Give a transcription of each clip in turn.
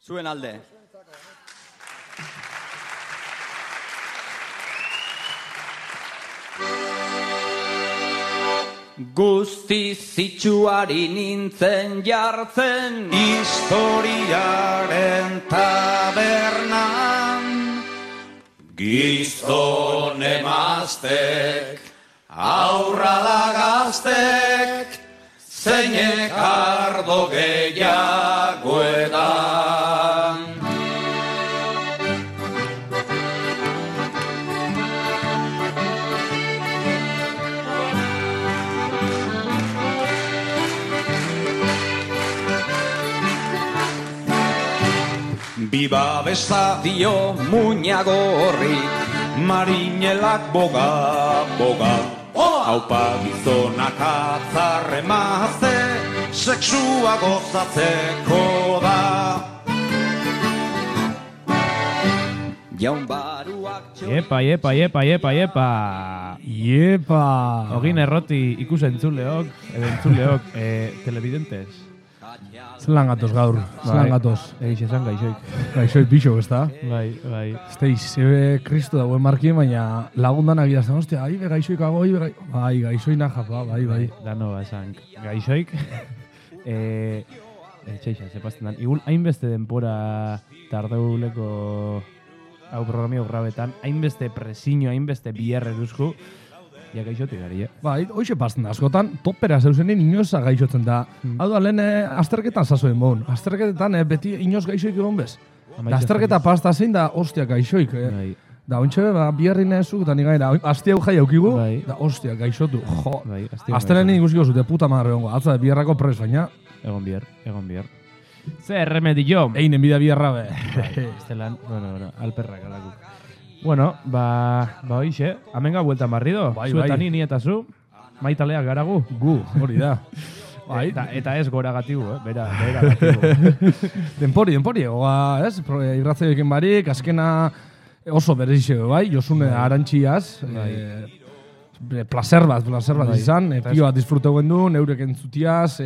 Zuen alde. Guzti zitsuari nintzen jartzen historiaren tabernan. Gizon emaztek, aurrala gaztek, zeinek ardo gehiagoetan. Biba bestadio muñago horri, marinelak boga, boga. Haupa gizonak atzarre mazte, seksua gozatzeko da. Jaun baruak Iepa. Ogin erroti entzuleok, telebidentes. Zelan gatoz gaur, zelan gatoz. Egiz esan gaixoik. Gaixoik bixok, ez da? Bai. Esteiz, zebe kristo dagoen markien, baina lagundanak idazten, ostia, aibe gaixoikago, bai, gaixoina japa, bai. Dano esan gaixoik. Txeixa, zepazten dan. Igul, hainbeste denpora tardeuleko hau programio grabetan, hainbeste presiño, hainbeste biherre duzku, ja gaixotik gari, Bai, hoxe pasten da, askotan, topera zeuzenin inoza gaixotzen da. Hau da, lehen azterketan zazoen bon. Azterketan beti inoz gaixoik egon bez. Da, azterketa pasta zein da, ostia gaixoik. Da, ontxe, biherrin ezuk, eta nigaira, asti hau jai aukigu, da, ostia, gaixotu. Jo, aztelenin ikusiko zute, puta madre hongo. Atza, biherrako pres, baina. Egon biher. Ze remedio. Einen bida biherra be. Estelan, bueno, alperrak alakuk. Bueno, hoixe, amenga bueltan barrido. Bai. Zuetani, ni eta zu, maitaleak garagu. Gu, hori da. Bai. Eta ez gora gatibu, bera gatibu. Denpori, oga, ez? Irratzaioekin barik, azkena oso berezizio, bai? Josune arantxiaz, placer bat izan, pio bat disfruteu gendu, neurek entzutiaz,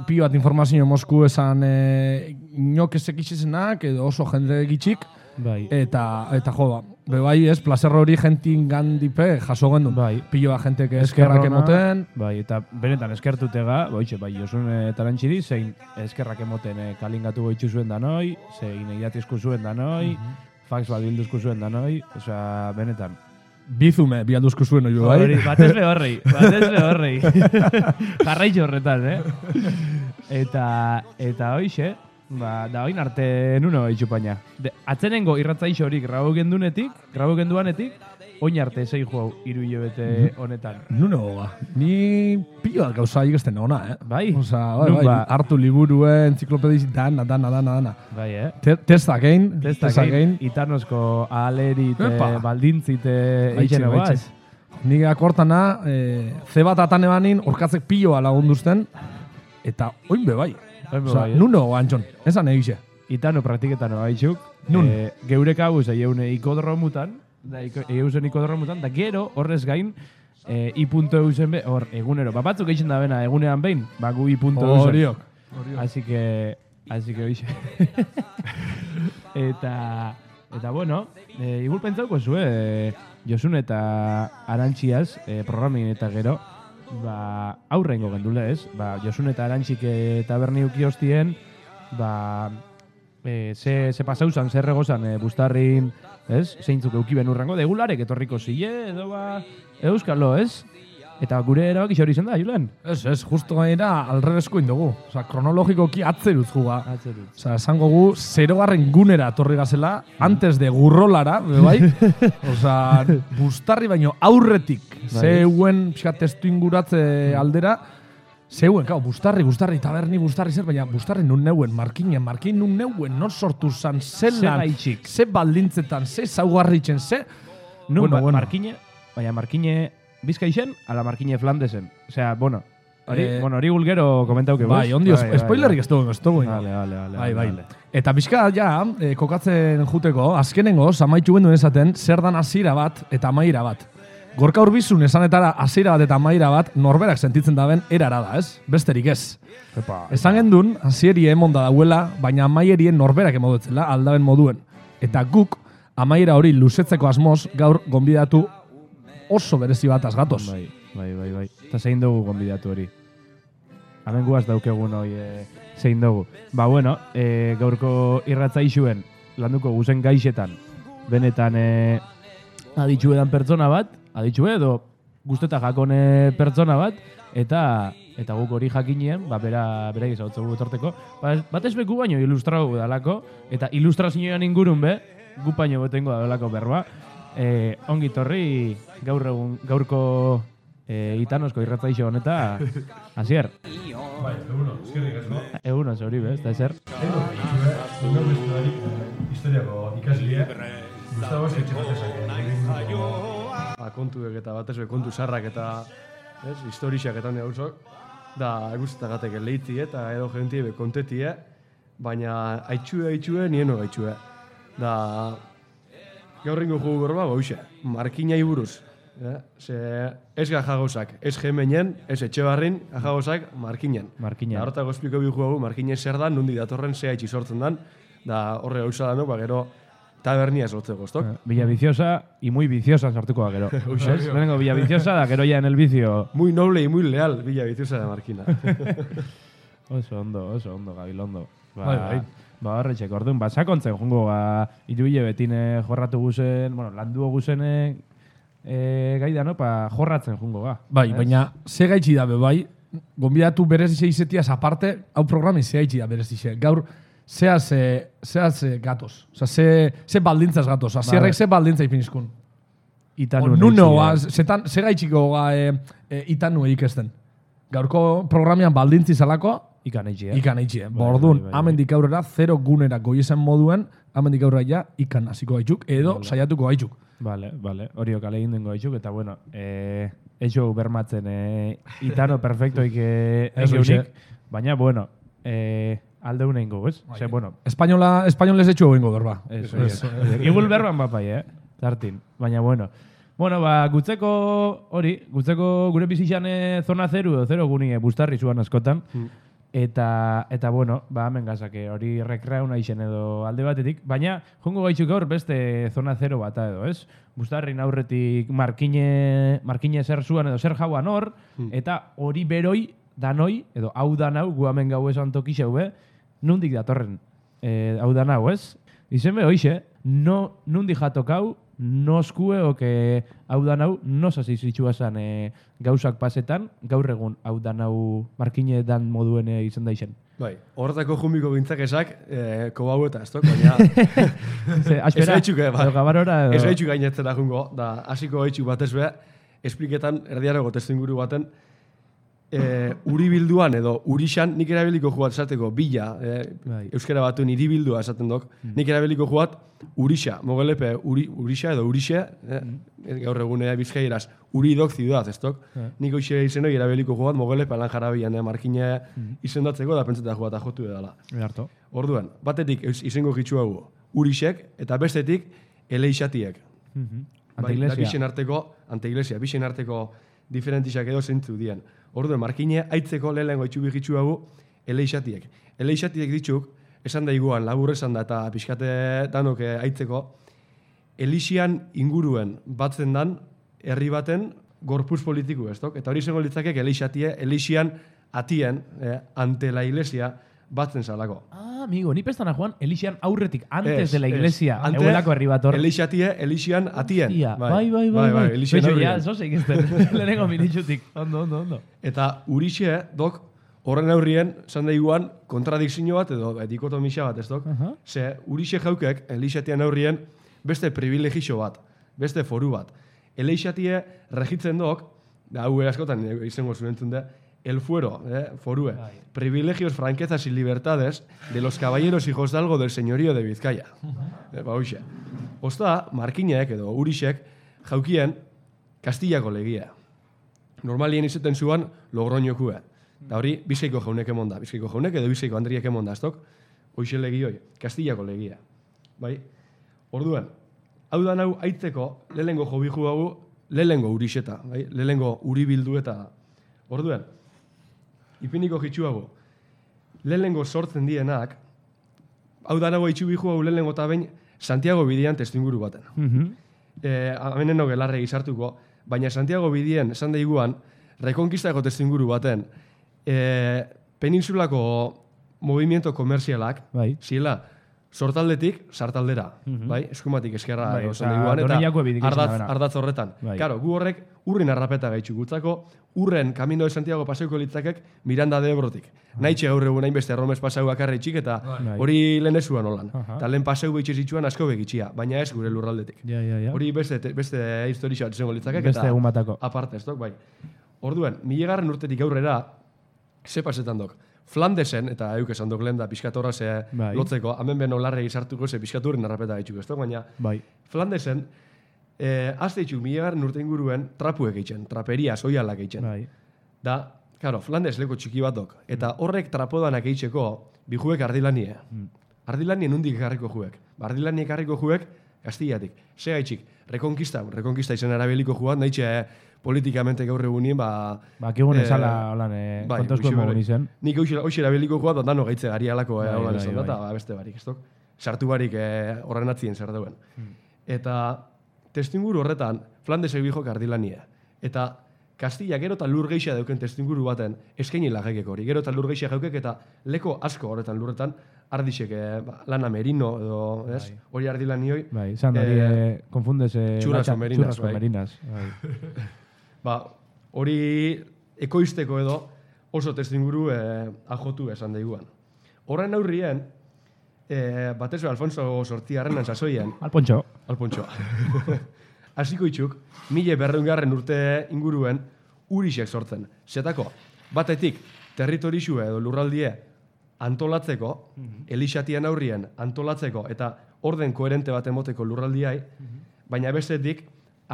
pio bat informazio mosku esan inok ezek izizenak, edo oso jende gitxik, Bai. Eta jo, bai ez, placer hori jentin gandipe jaso gendu. Bai. Pilo bat jentek eskerrak emoten. Bai, eta benetan eskertutega, bai, Josune Tarantxiri, zein eskerrak emoten kalingatu goitzu zuen danoi, zein eiratizku zuen danoi, fax bat bilduzku zuen danoi, osea, benetan. Bizume, bialduzku zuen oio, bai? Batez behorrei. Jarraitxo horretan, Eta hoixe, da oin arte nuno itxupaina. Atzenengo irratzaixo horik grabo genduanetik, oin arte zei hau 3 hilabete honetan. Nuno goga. Ni pioak gauza ikesten ona, Bai? Osa, bai, hartu liburuen, enziklopediz, dana. Bai, Testak egin. Itanozko alerite, baldintzite eitzen guaz. Nik akortana, ze bat atan ebanin, orkatzek pioa lagunduzten, eta oin bai. Osa, nuno antxon, esan egixe. Itano praktiketan oaitxuk. Nun? Geurek hau eune ikodromutan, da gero horrez gain, i.eusen be, hor, egunero. Batzuk eixen da bena, egunean behin, gu i.eusen. Horiok. Así que oixe. Eta bueno, igual pentsauko zue, Josun eta Arantxiaz, programin eta gero, aurrengo gendule ez, Josun eta Arantxik taberni uki hostien, ze pasauzan, zer regozan bustarrin, ez? Zeintzuk eukiben urrengo, de egularek etorriko zile, edo euskalo, ez? Eta gure erabak hori zen da, Julen? Ez, justo gainera alrebesko indugu. Osa, kronologikoki atzeruz juga. Osa, esango gu, 0. gunera torri gazela, antes de gurrolara, bai? Osa, bustarri baino aurretik, zeuen, pixka testu inguratze aldera, zeuen, bustarri, taberni bustarri zer, baina bustarri nun neuen, markin nun neuen, non sortu zan, zelan, ze baldintzetan, ze zaugarritzen, ze... Markine Bizkaixen, ala Markine Flandesen. Osea, hori gulgero komentauke. Bai, ondio, spoilerrik ez dugu. Bai. Eta bizka, kokatzen juteko, azkenengo, zamaitxu gendu esaten, zer dan hasiera bat eta amaiera bat. Gorka Urbizun esanetara hasiera bat eta amaiera bat norberak sentitzen daben erara da, ez? Besterik ez. Esan gendun, hasieri emonda dauela, baina amaierien norberak emoduetzela aldaben moduen. Eta guk, amaiera hori luzetzeko asmoz, gaur gonbidatu oso berezi bat azgatoz. Bai. Eta zein dugu gonbidatu hori. Hemen guaz daukegun hori zein dugu. Ba, bueno, gaurko irratza isuen landuko guzen gaixetan. Benetan aditxue dan pertsona bat, aditxue edo guzteta jakone pertsona bat, eta guk hori jakinien, ba, bera izautzen gu etorteko. Bat ezbeku baino ilustrau dalako, eta ilustrazioan ingurun be, gu baino betengo da dalako berba. Ongi torri gaurko itanosko irratzaixo honeta, Asier. Bai, eguno, eskerrik asko. Eguno, hori bez, da ezer. Historiako ikaslie, Gustavo kontuek eta batez kontu sarrak eta historiak eta hone hausok, da guztagatek leitzi eta edo jentie be kontetie, baina aitzue nieno aitzue. Da gaurrengo jugu berba goixe, markinai buruz. Ze ez gajagozak, ez gemenen, ez etxebarrin, gajagozak markinen. Markinen. Da horretako espliko bi jugu markinen zer da, nondik datorren zea itxi sortzen dan, da horre gauza da no, ba gero tabernia sortzeko, estok? Villa Viciosa y muy viciosa sartuko da gero. Lehenengo Villa Viciosa da gero ya en el vicio. Muy noble y muy leal Villa Viciosa de Markina. Oso ondo, Gabilondo. Bai. Ba, horretxek, orduan, sakontzen jungo, iruile betine jorratu guzen, bueno, landuo guzene gaida, no? Jorratzen jungo, Bai, baina ze gaitxi da bai, gonbidatu berezixe izetiaz aparte, hau programin ze gaitxi da berezixe. Gaur, zeaz gatoz. Osa, ze baldintzaz gatoz. Azierrek ze baldintza ipinizkun. Itanu Nuno, ze gaitxiko itanu ikesten. Gaurko programian baldintzi zalako, Ikan eitxie. Bordun, amendik aurrera, 0 gunera goiezen moduen, amendik aurrera ja, ikan hasiko gaitzuk, edo saiatuko gaitzuk. Vale. Horiok alegin dengo gaitzuk, eta bueno, eixo bermatzen itano perfectoik egeunik, baina, bueno, aldeun egingo, ez? Ze, bueno. Espainolez etxu egingo berba. Igul berban bapai, tartin, baina, bueno. Bueno, gutzeko gure bizitxan zona 0 guni bustarri zuan askotan. Eta bueno, hemen gazake hori rekreauna izen edo alde batetik. Baina, jongo gaitzuk gaur beste zona 0 bata edo, ez? Bustarrin aurretik markine zer zuan edo zer jauan hor, eta hori beroi danoi, edo hau danau, gu hemen gau esan tokixeu, nundik datorren hau danau, ez? Izen be, hoxe, nundik jatokau, noskue oke hau danau, nosaz izitxua zan gauzak pasetan, gaur egun hau danau markine dan moduen izan da izen. Bai, horretako jumbiko gintzak esak, kobau eta ez baina... Ez gaitxuk, ez gaitxuk gainetzera jungo, da hasiko gaitxuk batez beha, espliketan erdiarago testu inguru baten, uribilduan edo urixan nik erabiliko jugat esateko bila, euskara batuen iribildua esaten dok, nik erabiliko jugat urixa, mogelepe urixa edo urixe, gaur egunea bizkaieraz, uridok ziudad, ez dok, nik hoxe izenoi erabiliko jugat mogelepe lan jarabian markine izendatzeko da pentseta jugat jotu edala. Orduan, batetik izango gitzu hau urixek eta bestetik eleixatiek. Bixen arteko diferentixak edo zentzu dien. Orduan, markine aitzeko lehenengo itxubi gitzu hau eleixatiek. Eleixatiek ditzuk, esan da iguan, labur esan da eta pixkate danok aitzeko, elixian inguruen batzen dan, herri baten gorpuz politiku ez dok. Eta hori izango litzakek elixian atien, ante la iglesia, batzen zalako. Amigo, ni pestana joan, elixian aurretik, antes de la iglesia, eguelako herri bat hor. Elixian atien. Bai. Elixian aurretik. Ja, zoseik ezten, lehenengo minitxutik. Ondo. Eta urixe, dok, horren aurrien, zan da iguan, kontradikzio bat edo dikotomisa bat ez dok. Ze urixe jaukek, elixatian aurrien, beste privilegio bat, beste foru bat. Elixatie regitzen dok, da hau askotan izango zuen da, el fuero, forue, privilegios, franquezas y libertades de los caballeros hijos de algo del señorío de Bizkaia. Hoxe. Osta, markinek edo urixek jaukien Kastillako legia. Normalien izaten zuan Logroñokue. Da hori, Bizkaiko jaunek emonda. Bizkaiko jaunek edo Bizkaiko Andriek emonda, estok? Hoxe legioi, Kastillako legia. Bai? Orduan, hau da nau aitzeko, lehenengo jobiju hau lehengo urixeta, bai? Lehengo uri bildu eta orduen, ipiniko jitsuago, lehengo sortzen dienak, hau danago itxubihu hau lehengo eta bain Santiago bidian testuinguru baten. Hemeneno gelarre gizartuko, baina Santiago bidien esan daiguan, rekonkistako testuinguru baten, peninsulako movimiento komerzialak, ziela, sortaldetik, sartaldera, bai? Eskumatik eskerra, esan daiguan, eta ardatz horretan. Karo, gu horrek urrin arrapeta gaitxu gutzako, urren Camino de Santiago paseuko litzakek Miranda de Ebrotik. Naitxe gaur egun hainbeste erromes paseu bakarri txik eta hori lehen ezuan holan. Eta lehen paseu behitxe zitsuan asko begitxia, baina ez gure lurraldetik. Hori beste historia bat izango litzakek eta aparte ez dok, bai. Orduen, 1000 urtetik aurrera, ze pasetan dok. Flandesen, eta euk esan dok lehen da pixkatorra ze lotzeko, hemen beno larre izartuko ze pixkaturren arrapeta gaitxuko ez dok, baina Flandesen, azte itxuk 1000 urte inguruen trapuek eitzen, traperia, soialak eitzen. Da, karo, Flandes leko txiki bat dok, eta horrek trapodanak eitzeko bijuek ardilanie. Ardilanie nundik ekarriko juek. Ardilanie ekarriko juek, Kastillatik. Se gaitxik, rekonkista izan erabiliko juat, nahitxe politikamente gaur egunien, kigun esala holan kontosko emogun izen. Nik hoxe erabiliko juat, dano gaitze gari alako holan esan da, eta beste barik, ez dok? Sartu barik horren atzien zer dauen. Eta testuinguru horretan, Flandesek bijok ardilanie. Eta Kastilla gero eta lur geixa dauken testuinguru baten eskaini lagekek hori. Gero eta lur geixa jaukek eta leko asko horretan lurretan ardixek lana merino edo, ez? Hori ardilanioi. Bai, izan hori konfundes churras con merinas. Hori ekoizteko edo oso testuinguru ajotu esan daiguan. Horren aurrien, batez Alfonso Sortziarrenan sasoian. Alpontxo. Hasiko itxuk, 1200 urte inguruen urixek sortzen. Zetako, batetik territorixue edo lurraldie antolatzeko, elixatien aurrien antolatzeko eta orden koherente bat emoteko lurraldiai, baina bestetik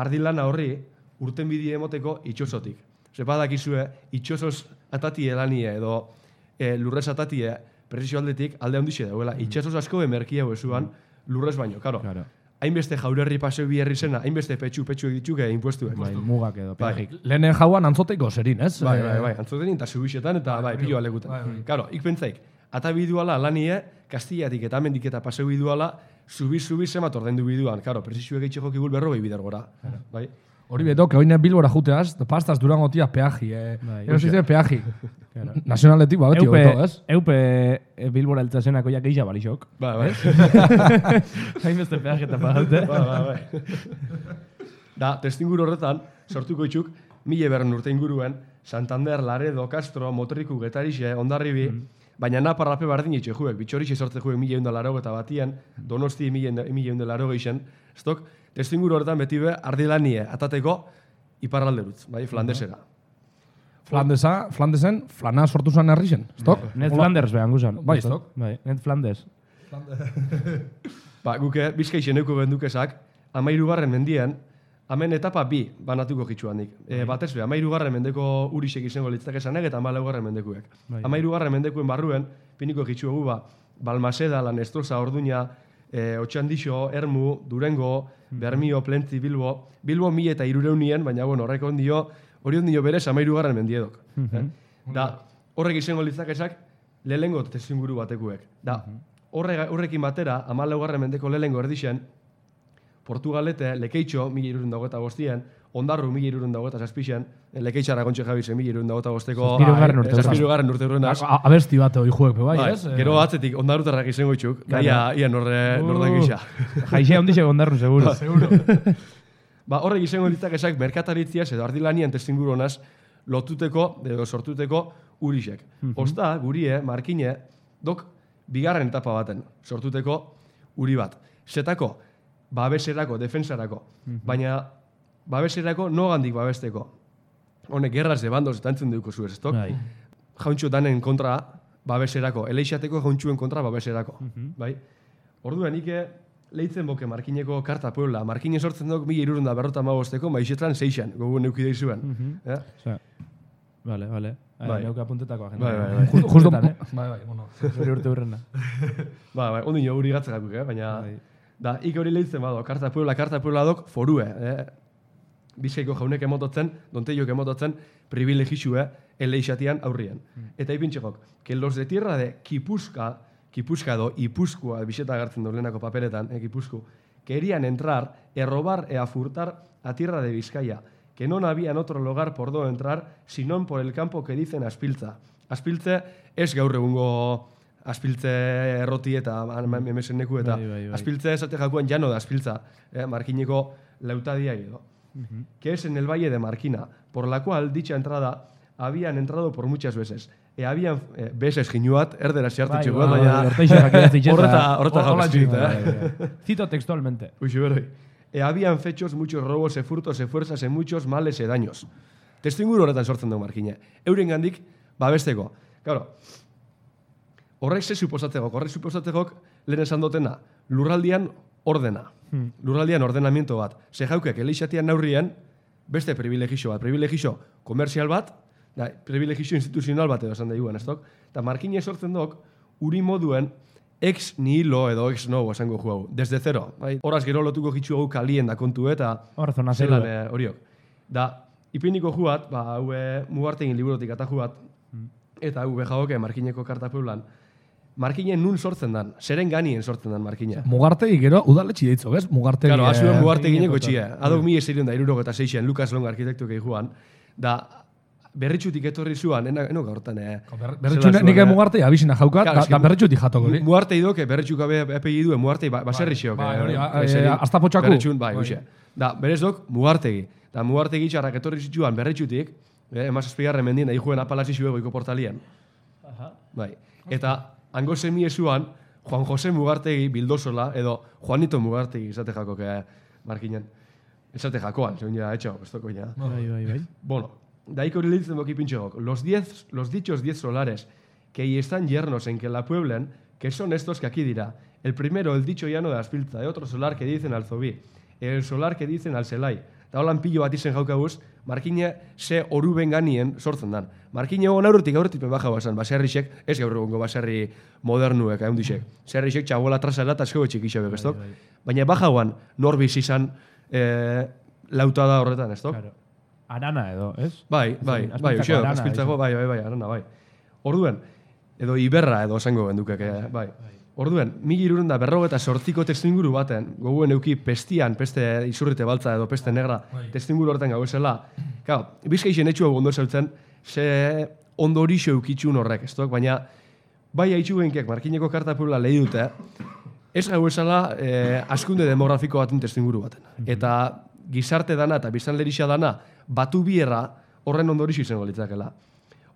ardilana horri urten bidie emoteko itxosotik. Zepadakizue, itxosos atatie lanie edo lurrez atatie presizio aldetik alde handixe dauela. Itxasos asko emerkia ezuan lurrez baino, karo. Hainbeste jaurerri paseu biherri zena, hainbeste petxu dituke impuestuek. Mugak edo, peajik. Lehen jauan antzoteiko zerin, ez? Bai, antzotekin eta zubixetan eta pilo alekutan. Karo, ikpentzaik, ata biduala lanie, Kastillatik eta amendik eta paseu biduala, zubi zemat ordendu biduan. Karo, presizioek eitxe jokigul 40 bider gora. Hori beto, que oine Bilbora juteaz, pastas Durangotia peaji. Ero zize peaji. Nazionaletik beti hobeto, ez? Eupe Bilbora eltzazenako ja gehiago balixok. Bai. Hain beste peaje eta pagaute. Bai. Da, testinguru horretan, sortuko itxuk, 1200 urte inguruen, Santander, Laredo, Castro, Motriku, Getarixe, Hondarribi, baina naparrape bardin itxe juek, bitxorixe sortze juek 1180 eta batian, Donosti 1180 estok, testinguru horretan beti be, ardilanie atateko iparralderutz, bai, Flandesera. Flandesen, flana sortu zan herri zen, estok? Net Flanders behan guzan. Bai, estok? Net Flandes. Guke, bizkaixen euko gendukezak, 13. mendien, hemen etapa 2 banatuko jitsuanik. Batez be, 13. mendeko urixek izango litzak esanek eta 14. mendekuek. 13. mendekuen barruen, piniko jitsuagu Balmaseda, Lanestrosa, Orduña, Otxandixo, Ermu, Durengo, Bermio, Plentzi, Bilbo 1300 baina horrek hori ondio berez 13. mendiedok. Da, horrek izango litzakezak lehengo testinguru batekuek. Da, horrekin batera, 14. mendeko lehengo erdixen, Portugalete, Lekeitxo, 1325, Ondarru, 1326, Lekeitxara kontxe jabizen, 1325. Zazpirugarren urte urrenaz. Abesti bat hori juek, bai, ez? Gero atzetik, Ondarrutarrak izango itxuk, ia nordan gisa. Jaixea ondixek Ondarrun, seguro. Horrek izango litzakezak merkataritziaz edo ardilanian testinguru honaz lotuteko, edo sortuteko urixek. Osta, gurie, markine, dok, 2. etapa baten sortuteko uri bat. Zetako, babeserako, defensarako. Baina, babeserako nogandik babesteko. Honek, gerraz de bandoz eta entzun duko zuez, estok? Jauntxo danen kontra babeserako, eleixateko jauntxuen kontra babeserako. Orduan, ike lehitzen boke Markineko karta puebla. Markine sortzen duk 1355, maixetran 6an, gogu neukidei zuen. Vale. Neuka apuntetako agenda. Bai. Justo, bai, Zuri urte hurrena. Ondino huri gatzakakuk, baina... Da, ik hori lehitzen bado, karta puebla dok forue. Bizkaiko jaunek emototzen, Donteiok emototzen, privilegizue eleixatian aurrien. Eta ipintxekok, que los de tierra de Gipuzkoa edo Ipuzkoa, biseta agertzen dolenako paperetan, Gipuzko, querían entrar, robar a furtar a tierra de Vizcaya, que no habían otro lugar por donde entrar, sino por el campo que dicen Aspiltza. Aspiltze ez gaur egungo Aspiltze erroti eta memeseneku eta Aspiltze esate jakuan llano de Aspiltza, Markineko lautadia edo. Que es en el Valle de Marquina, por la cual dicha entrada habían entrado por muchas veces. Habían veces ginuat, erdera xartitxe guat, baina horreta Cito textualmente. Habían fechos muchos robos, furtos, fuerzas, muchos males y daños. Testuinguru horretan sortzen dugu Markina. Euren gandik, babesteko. Claro, horrek ze suposatzeko, lehen esan dotena, lurraldian ordena. Lurraldian ordenamiento bat. Ze jaukek, eleixatian naurrien, beste privilegio bat. Privilegio komerzial bat, privilegio instituzional bat edo esan da iguen, ez dok? Eta Markina sortzen dok, uri moduen, ex nihilo edo ex novo esango jugu. Desde zero. Horaz gero lotuko gitzu hau kalien da kontu eta zelan horiok. Da, ipiniko juat, hau mugartegin liburotik eta juat, eta hau bejagoke Markineko karta pueblan. Markinen nun sortzen dan, zeren ganien sortzen dan Markina. Mugartegi gero udaletxi deitzo, bez? Mugartegi... Claro, azuen mugartegineko txia. Adok 1666 Lukas Long arkitektuak eguan, da berritxutik etorri zuan, eno gaurtan... Berritxutik nik mugartei abizina jaukat, da berritxutik jatoko. Mugartei doke, berritxuk apegi duen, mugartei baserri xeok. Hasta potxaku. Berritxun, da, berez dok, mugartegi. Da, mugartegi txarrak etorri zituan berritxutik, emaz espigarren mendien, da juen apalazi zuego iko portalian. Eta, hango semie zuan, Juan José Mugartegi bildosola, edo Juanito Mugartegi izate jako, Markinen. Izate jakoan, segun ja, etxo, bestoko ja. Bai. Bueno, daiko hori litzen doki pintxegok. Los dichos 10 solares que ahí están yernos en que la pueblen, que son estos que aquí dirá. El primero, el dicho llano de Aspiltza, de otro solar que dicen al Zobí, el solar que dicen al Selai. Eta holan pilo bat izen jaukaguz, Markina ze oruben ganien sortzen dan. Markina egon aurretik baja basan, baserrixek, ez gaur egongo baserri modernuek, ahondixek. Zerrixek txabola trasala eta eskego txik isabek, ez dok? Baina baja guan, norbiz izan lauta da horretan, ez dok? Arana edo, ez? Bai, Aspiltzako, arana, bai. Orduen, edo Iberra edo esango gendukek, bai. Orduen, 1748ko testuinguru baten, goguen euki pestian, peste izurrite baltza edo peste negra testuinguru horretan gauzela. Claro, Bizkaixen etxua ondo zautzen, ze ondo horixo eukitxun horrek, ez dok? Baina, bai haitxu genkek, Markineko karta puebla lehi dute, ez gauzela askunde demografiko baten testuinguru baten. Eta gizarte dana eta biztanlerixa dana batu bierra horren ondo horixo izango litzakela.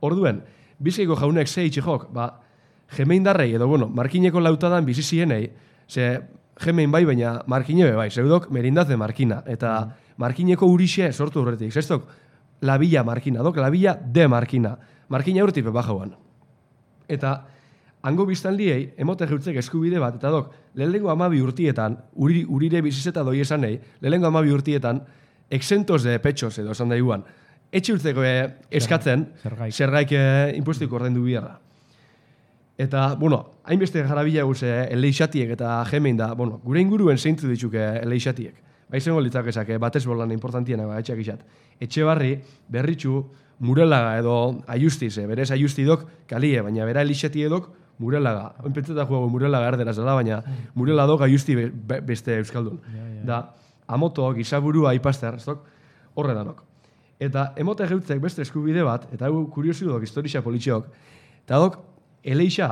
Orduen, Bizkaiko jaunek ze itxijok, Gemeindarrei, edo, Markineko lautadan bizizienei, ze gemein bai, baina Markinebe bai, zeudok merindaz de Markina, eta Markineko urixe sortu horretik, zestok, la Villa Markina, dok, la Villa de Markina. Markina urtipe bajauan. Eta, hango biztanliei, emote jeutzek eskubide bat, eta dok, lehenengo 12 urtietan, urire bizizeta doi esanei, lehenengo 12 urtietan, exentos de pechos, edo esan da iguan, etxe urtzeko eskatzen, zergaik impuestiko ordendu biherra. Eta, hainbeste jarabila guze eleixatiek eta jemein da, gure inguruen zeintzu ditzuke eleixatiek. Baizengo litzakezak, batez bolan importantiena etxeak izat. Etxe barri, berritxu, murelaga edo aiustiz, berez aiustidok kalie, baina bera eleixati edok murelaga. Oin pentseta juego murelaga erderaz dela, baina mureladok aiusti beste euskaldun. Da, amoto, gizaburua, ipaster, horre danok. Eta emote geutzek beste eskubide bat, eta hau kuriosu dok, historia politxeok, eta dok, eleixa,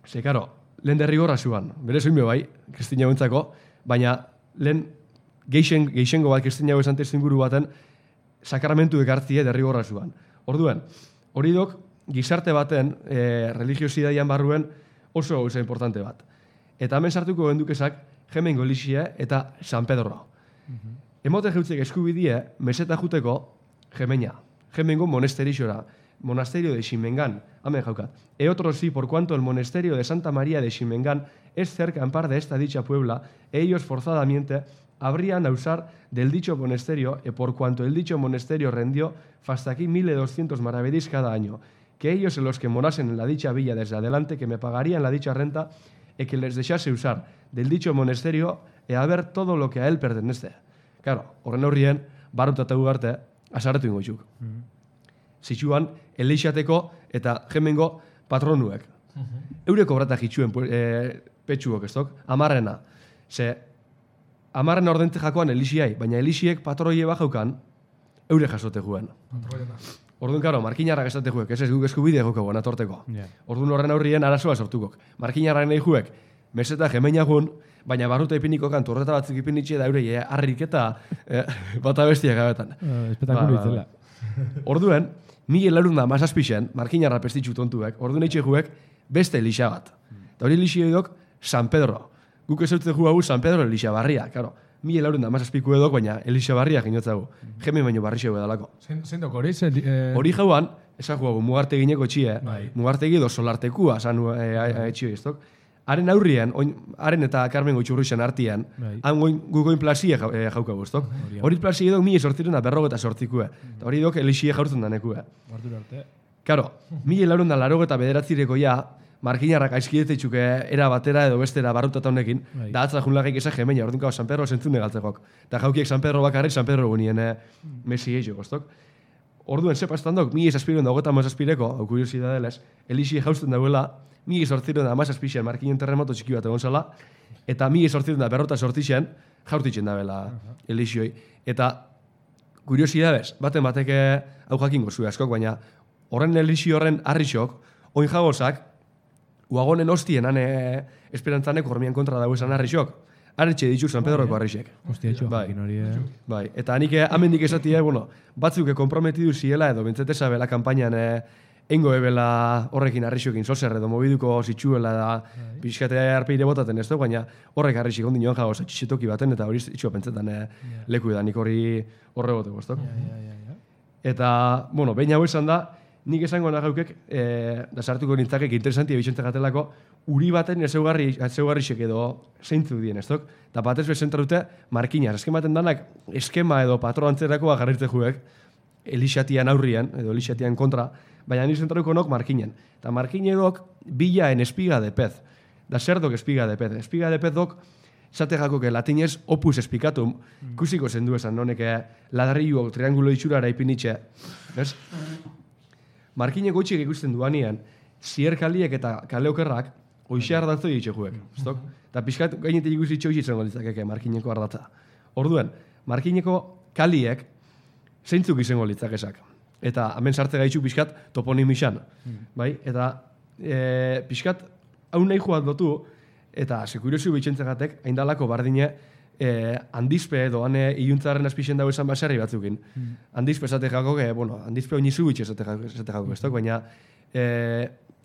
ze, karo, lehen derrigorra zuan, bere zoin bai, Kristina gontzako, baina lehen geixengo bat Kristina gozan testinguru baten sakramentu ekartzie derrigorra zuan. Orduen, hori dok, gizarte baten religiosidadian barruen oso gauza importante bat. Eta hemen sartuko gendukezak Hemengo Elixia eta San Pedro. Emote jeutzek eskubidie, meseta juteko Hemeña. Hemengo monasterixora. Monasterio de Ximengan, amen jaukat. Otro sí, por cuanto el monasterio de Santa María de Ximengan es cerca en par de esta dicha puebla, ellos forzadamente habrían a usar del dicho monasterio, por cuanto el dicho monasterio rendió hasta aquí 1.200 maravedís cada año, que ellos en los que morasen en la dicha villa desde adelante, que me pagarían la dicha renta, y que les dejase usar del dicho monasterio a ver todo lo que a él pertenece. Claro, horren horrien, Barruta eta ugarte, asarretu ingo txuk. Zitsuan, eleixateko eta jemengo patronuek. Eureko brata jitsuen petxuok, ez dok? Amarrena. Ze, amarrena ordente jakoan elixiai, baina elixiek patroie bajaukan, eure jasote juen. Orduan, karo, markinarrak esate juek, ez guk eskubide joko atorteko. Orduan horren aurrien arazoa sortukok. Markinarrak nahi juek, meseta jemeina jun, baina barruta ipinikokan torreta batzuk ipinitxe da eurei harrik eta bata bestia gabetan. Espetakulo itzela. Orduen, 1.600 markinarra pestitxu tontuek, orduan eitxe juek beste elixa bat. Eta hori elixi edok San Pedro. Guk ezautze ju hau San Pedro elixa barria, karo. 1.600 edok, baina elixa barria ginotzagu. Jemen baino barri xeu edalako. Zein dok hori? Hori jauan, esan juagu mugartegineko txie, mugartegi do solartekua zanu etxio iztok. Haren aurrien, haren eta Carmen Goitxurruixen artian, han gugoin plazie jaukagu, ez dok? Hori plazie edok 1.848. Hori edok elixie jaurtzen danekue. Karo, 1.889 ja, markinarrak aizkidetetxuke era batera edo bestera barrutata honekin, da atza junlagik esan jemeina, orduan San Pedro zentzune galtzekok. Eta jaukiek San Pedro bakarrik, San Pedro gunien Messi eixo, ez dok? Orduen, sepastan dok, 1.600 hau kuriosidadelez, elixie jauzten dauela, 1.818 markinen terremoto txiki bat egon zala, eta 1.848 jaurtitzen dabela elixioi. Eta, kuriosidadez, batek hau jakingo zuen askok, baina horren elixi horren harrixok, oin jagozak, uagonen hostien ane esperantzaneko hormian kontra dago esan harrixok, harritxe ditu San Pedroko harrixek. Hostia, etxo jakin hori, Bai, eta nik amendik esatia, batzuk komprometidu ziela edo bentzete bela kampainan engo ebela horrekin harrixokin zozer edo mobiduko zitsuela da pixkatea arpeire botaten ez du, baina horrek harrixik ondin joan jagoz atxixetoki baten eta hori itxua pentsetan leku edan, nik hori horre goteko ez du. Eta, behin hau esan da, nik esango nagaukek, da sartuko nintzakek interesantia bitxente gatelako, uri baten ezeugarrixek edo zeintzu dien, ez duk? Eta batez bezenta dute, markinaz. Eskematen danak, eskema edo patro antzerakoa jarritze juek, elixatian aurrian, edo elixatian kontra, baina nik zentraruko nok markinen. Eta markine dok, bilaen espiga de pez. Da zer dok espiga de pez. Espiga de pez dok, zate jakoke latinez opus espikatum, kusiko zendu esan, noneke ladarriuok triangulo itxurara ipinitxe, ez? Markine gotxik ikusten duanean, zierkaliek eta kaleokerrak oixe ardatzo ditxe juek. Eta pixkat gainetik ikusi txoiz izango litzakeke markineko ardatza. Orduen, markineko kaliek zeintzuk izango litzakesak. Eta hemen sartze gaitxuk pixkat toponimisan. Bai? Eta pixkat hau nahi joat lotu, eta sekuriosu bitxentzegatek, haindalako bardine handizpe edo hane iluntzaren azpixen dago esan baserri batzukin. Handizpe esate jako, handizpe oinizu bitxe esate jako ez baina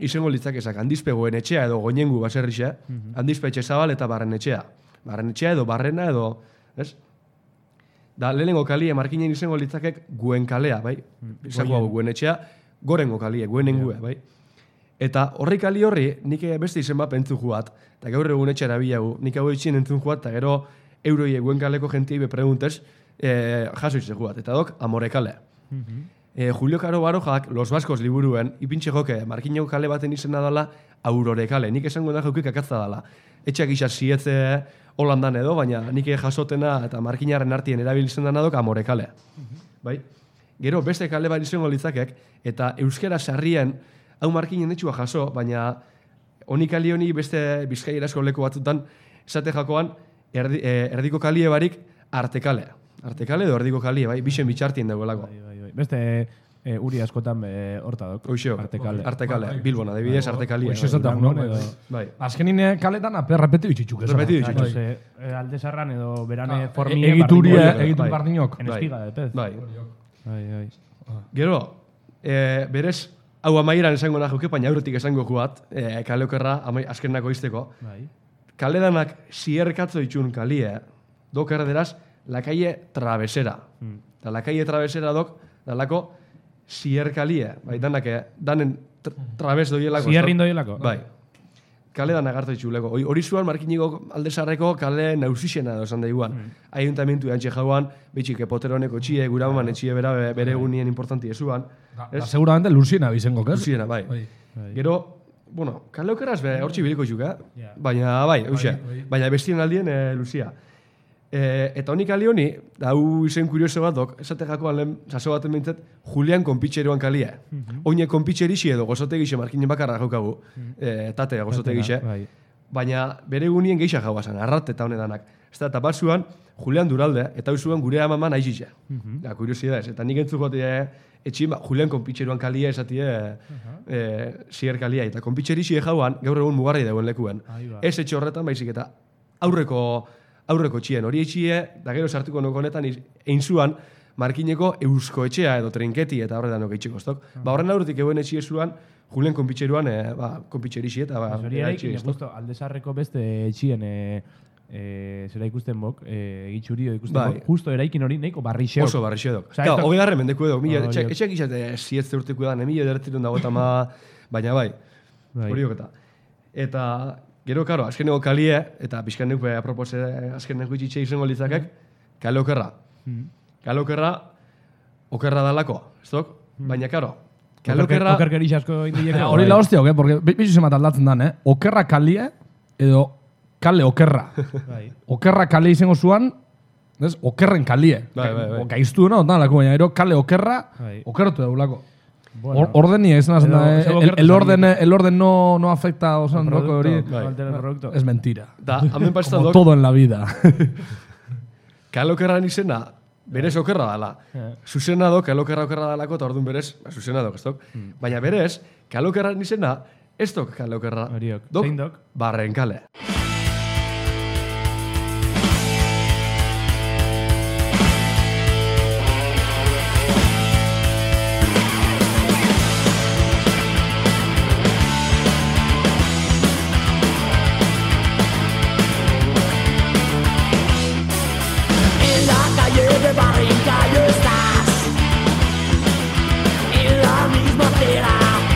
izango litzakezak handizpe goen etxea edo goinengu baserrixe, handizpe etxe zabal eta barren etxea. Barren etxea edo barrena edo, ez? Da, lehenengo kalie markinen izango litzakek guen kalea, bai? Izango hau guen etxea, gorengo kalie, guenengue, bai? Eta horri kali horri, nik beste izen bat pentzu juat, eta gaur egun etxera bilagu, nik hau etxien entzun juat, eta gero euroi eguen kaleko jentiei bepreguntez, jaso izan juat, eta dok, Amore kale. Julio Caro Barojak, Los Baskos liburuen, ipintxe joke, markineko kale baten izena dela, Aurore kale, nik esango da jokik akatza dela. Etxak isa zietze Holandan edo, baina nik jasotena eta markinaren artien erabiltzen dena dok, Amore kale. Bai? Gero, beste kale bat izango litzakek, eta euskera sarrien, hau markinen etxua jaso, baina honi kali honi beste bizkaierazko leku batzutan, esate jakoan, erdiko kalie barik artekale. Artekale edo erdiko kalie, bai? Bixen bitxartien dagoelako. Beste uri askotan horta dok. Hoxeo, artekale. Bilbon, adibidez, artekalia. Hoxe esatak non, edo. Azkenin kaletan repetitu itxitxuk. Repetitu itxitxuk. Alde sarran edo berane formie egituria, egitun bardinok. En espiga de pez. Bai. Gero, berez, hau amaieran esango nahi baina aurretik esango juat, kaleokerra azkenako izteko. Kaledanak zierkatzo itxun kalie, dok erderaz, la calle Travesera. Da la calle Travesera dok, dalako zierkalie. Bai, danen trabes doielako. Zierrin doielako. Bai. Kale dan agartu itxuleko. Hori zuan markiniko aldezarreko kale nausixena dozan da iguan. Ayuntamentu antxe jauan, bitxik poteroneko txie, guraman etxie bere egunien importanti ezuan. Da, seguramente Luziena bizengo, ez? Luziena, bai. Gero, kale okeraz hortxe biliko txuk, baina, bai, eusia. Baina bestien aldien Luzia. Eta honi kali honi, hau izen kurioso bat dok, esate jakoan lehen, saso baten bintzat, Julian konpitxeroan kalia. Oine konpitxerixi edo gozotegixe markinen bakarra jaukagu, tate gozotegixe. Baina bere gunien geixa jauazan, arrat eta honedanak. Eta bat zuan, Julian Duralde, eta hau zuan gure amaman aizixe. Kuriosia ez, eta nik entzuk gote etxin, Julian konpitxeroan kalia esatie zier kalia. Eta konpitxerixi jauan, gaur egun mugarri dagoen lekuen. Ez etxe horretan baizik eta aurreko txien hori etxie, da gero sartuko nuko honetan, egin zuan, markineko eusko etxea edo trinketi eta horretan nuko itxiko stok. Horren aurretik eguen etxie zuan, Julian konpitxeruan, konpitxerixi eta hori eraikin, justo, aldezarreko beste etxien zera ikusten bok, egitxuri ikusten bok, justo eraikin hori nahiko barrixeok. Oso barrixeok. Hogei garren mendeku edo, etxeak izate zietze urteko edan, 1900 dago eta baina bai, hori oketa. Eta gero, karo, azkeneko kalie, eta pixkan neuk apropose azkeneko itxitxe izango litzakek, kale okerra. Kale okerra, okerra dalako, ez dok? Baina, karo, kale okerra... Okerkerix asko indileko. Hori la hostia, porque bizu zemat aldatzen dan, okerra kalie, edo kale okerra. Okerra kalie izango zuan, okerren kalie. Gaiztu dena, baina ero kale okerra, okertu daulako. Ordenia izan azena, el orden no afecta osan doko hori. Es mentira. Como todo en la vida. Kale okerran izena, berez okerra dala. Zuzena do, kale okerra dalako, eta orduan berez, zuzena dok, ez dok. Baina berez, kale okerran izena, ez dok kale okerra. Dok, barren kale.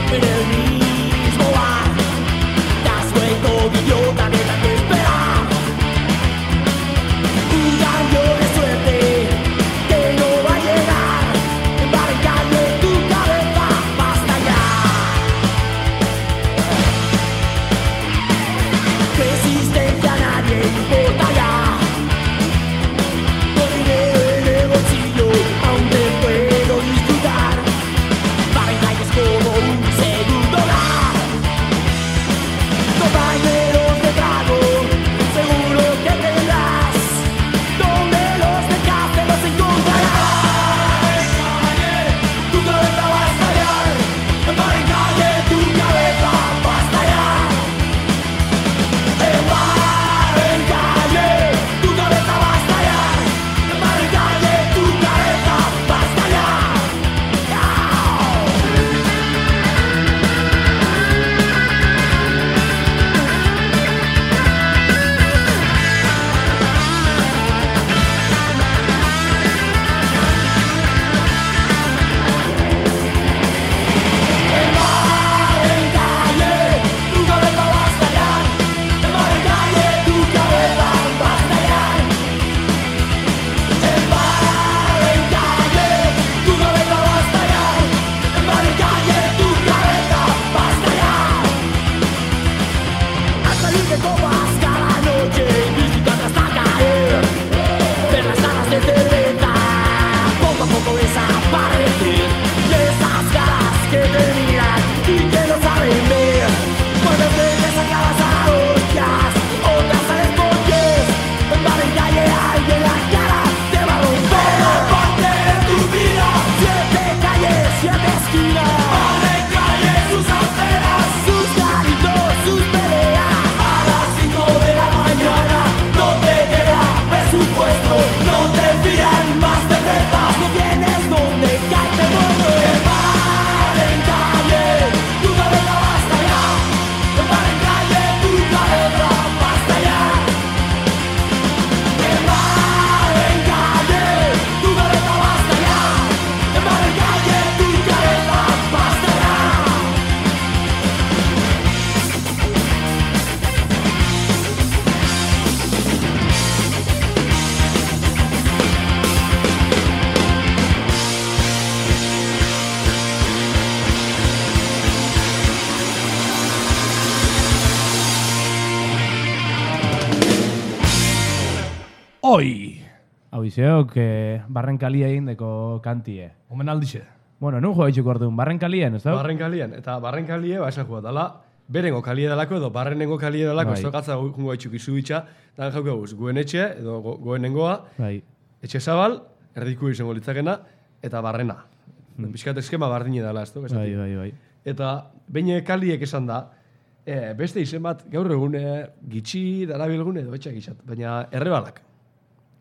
En el mismo bar, das luego idiota de la Oi! Hau izeok, barrenkalia egin deko kantie. Omen aldixe. Bueno, nun joa itxuko orduan, barrenkalien, ez da? Barrenkalien, eta barrenkalie, esan joa, dala, berengo kalie dalako edo barrenengo kalie dalako, ez tokatza jungo itxuk izu bitxa, dan jauko guz, goen etxe, edo goenengoa, etxe zabal, erdiko izango litzakena, eta barrena. Bizkat eskema bardine dela, ez da? Bai. Eta behin kaliek esan da, beste izen bat gaur egun gitxi darabilgun edo etxak izat, baina errebalak.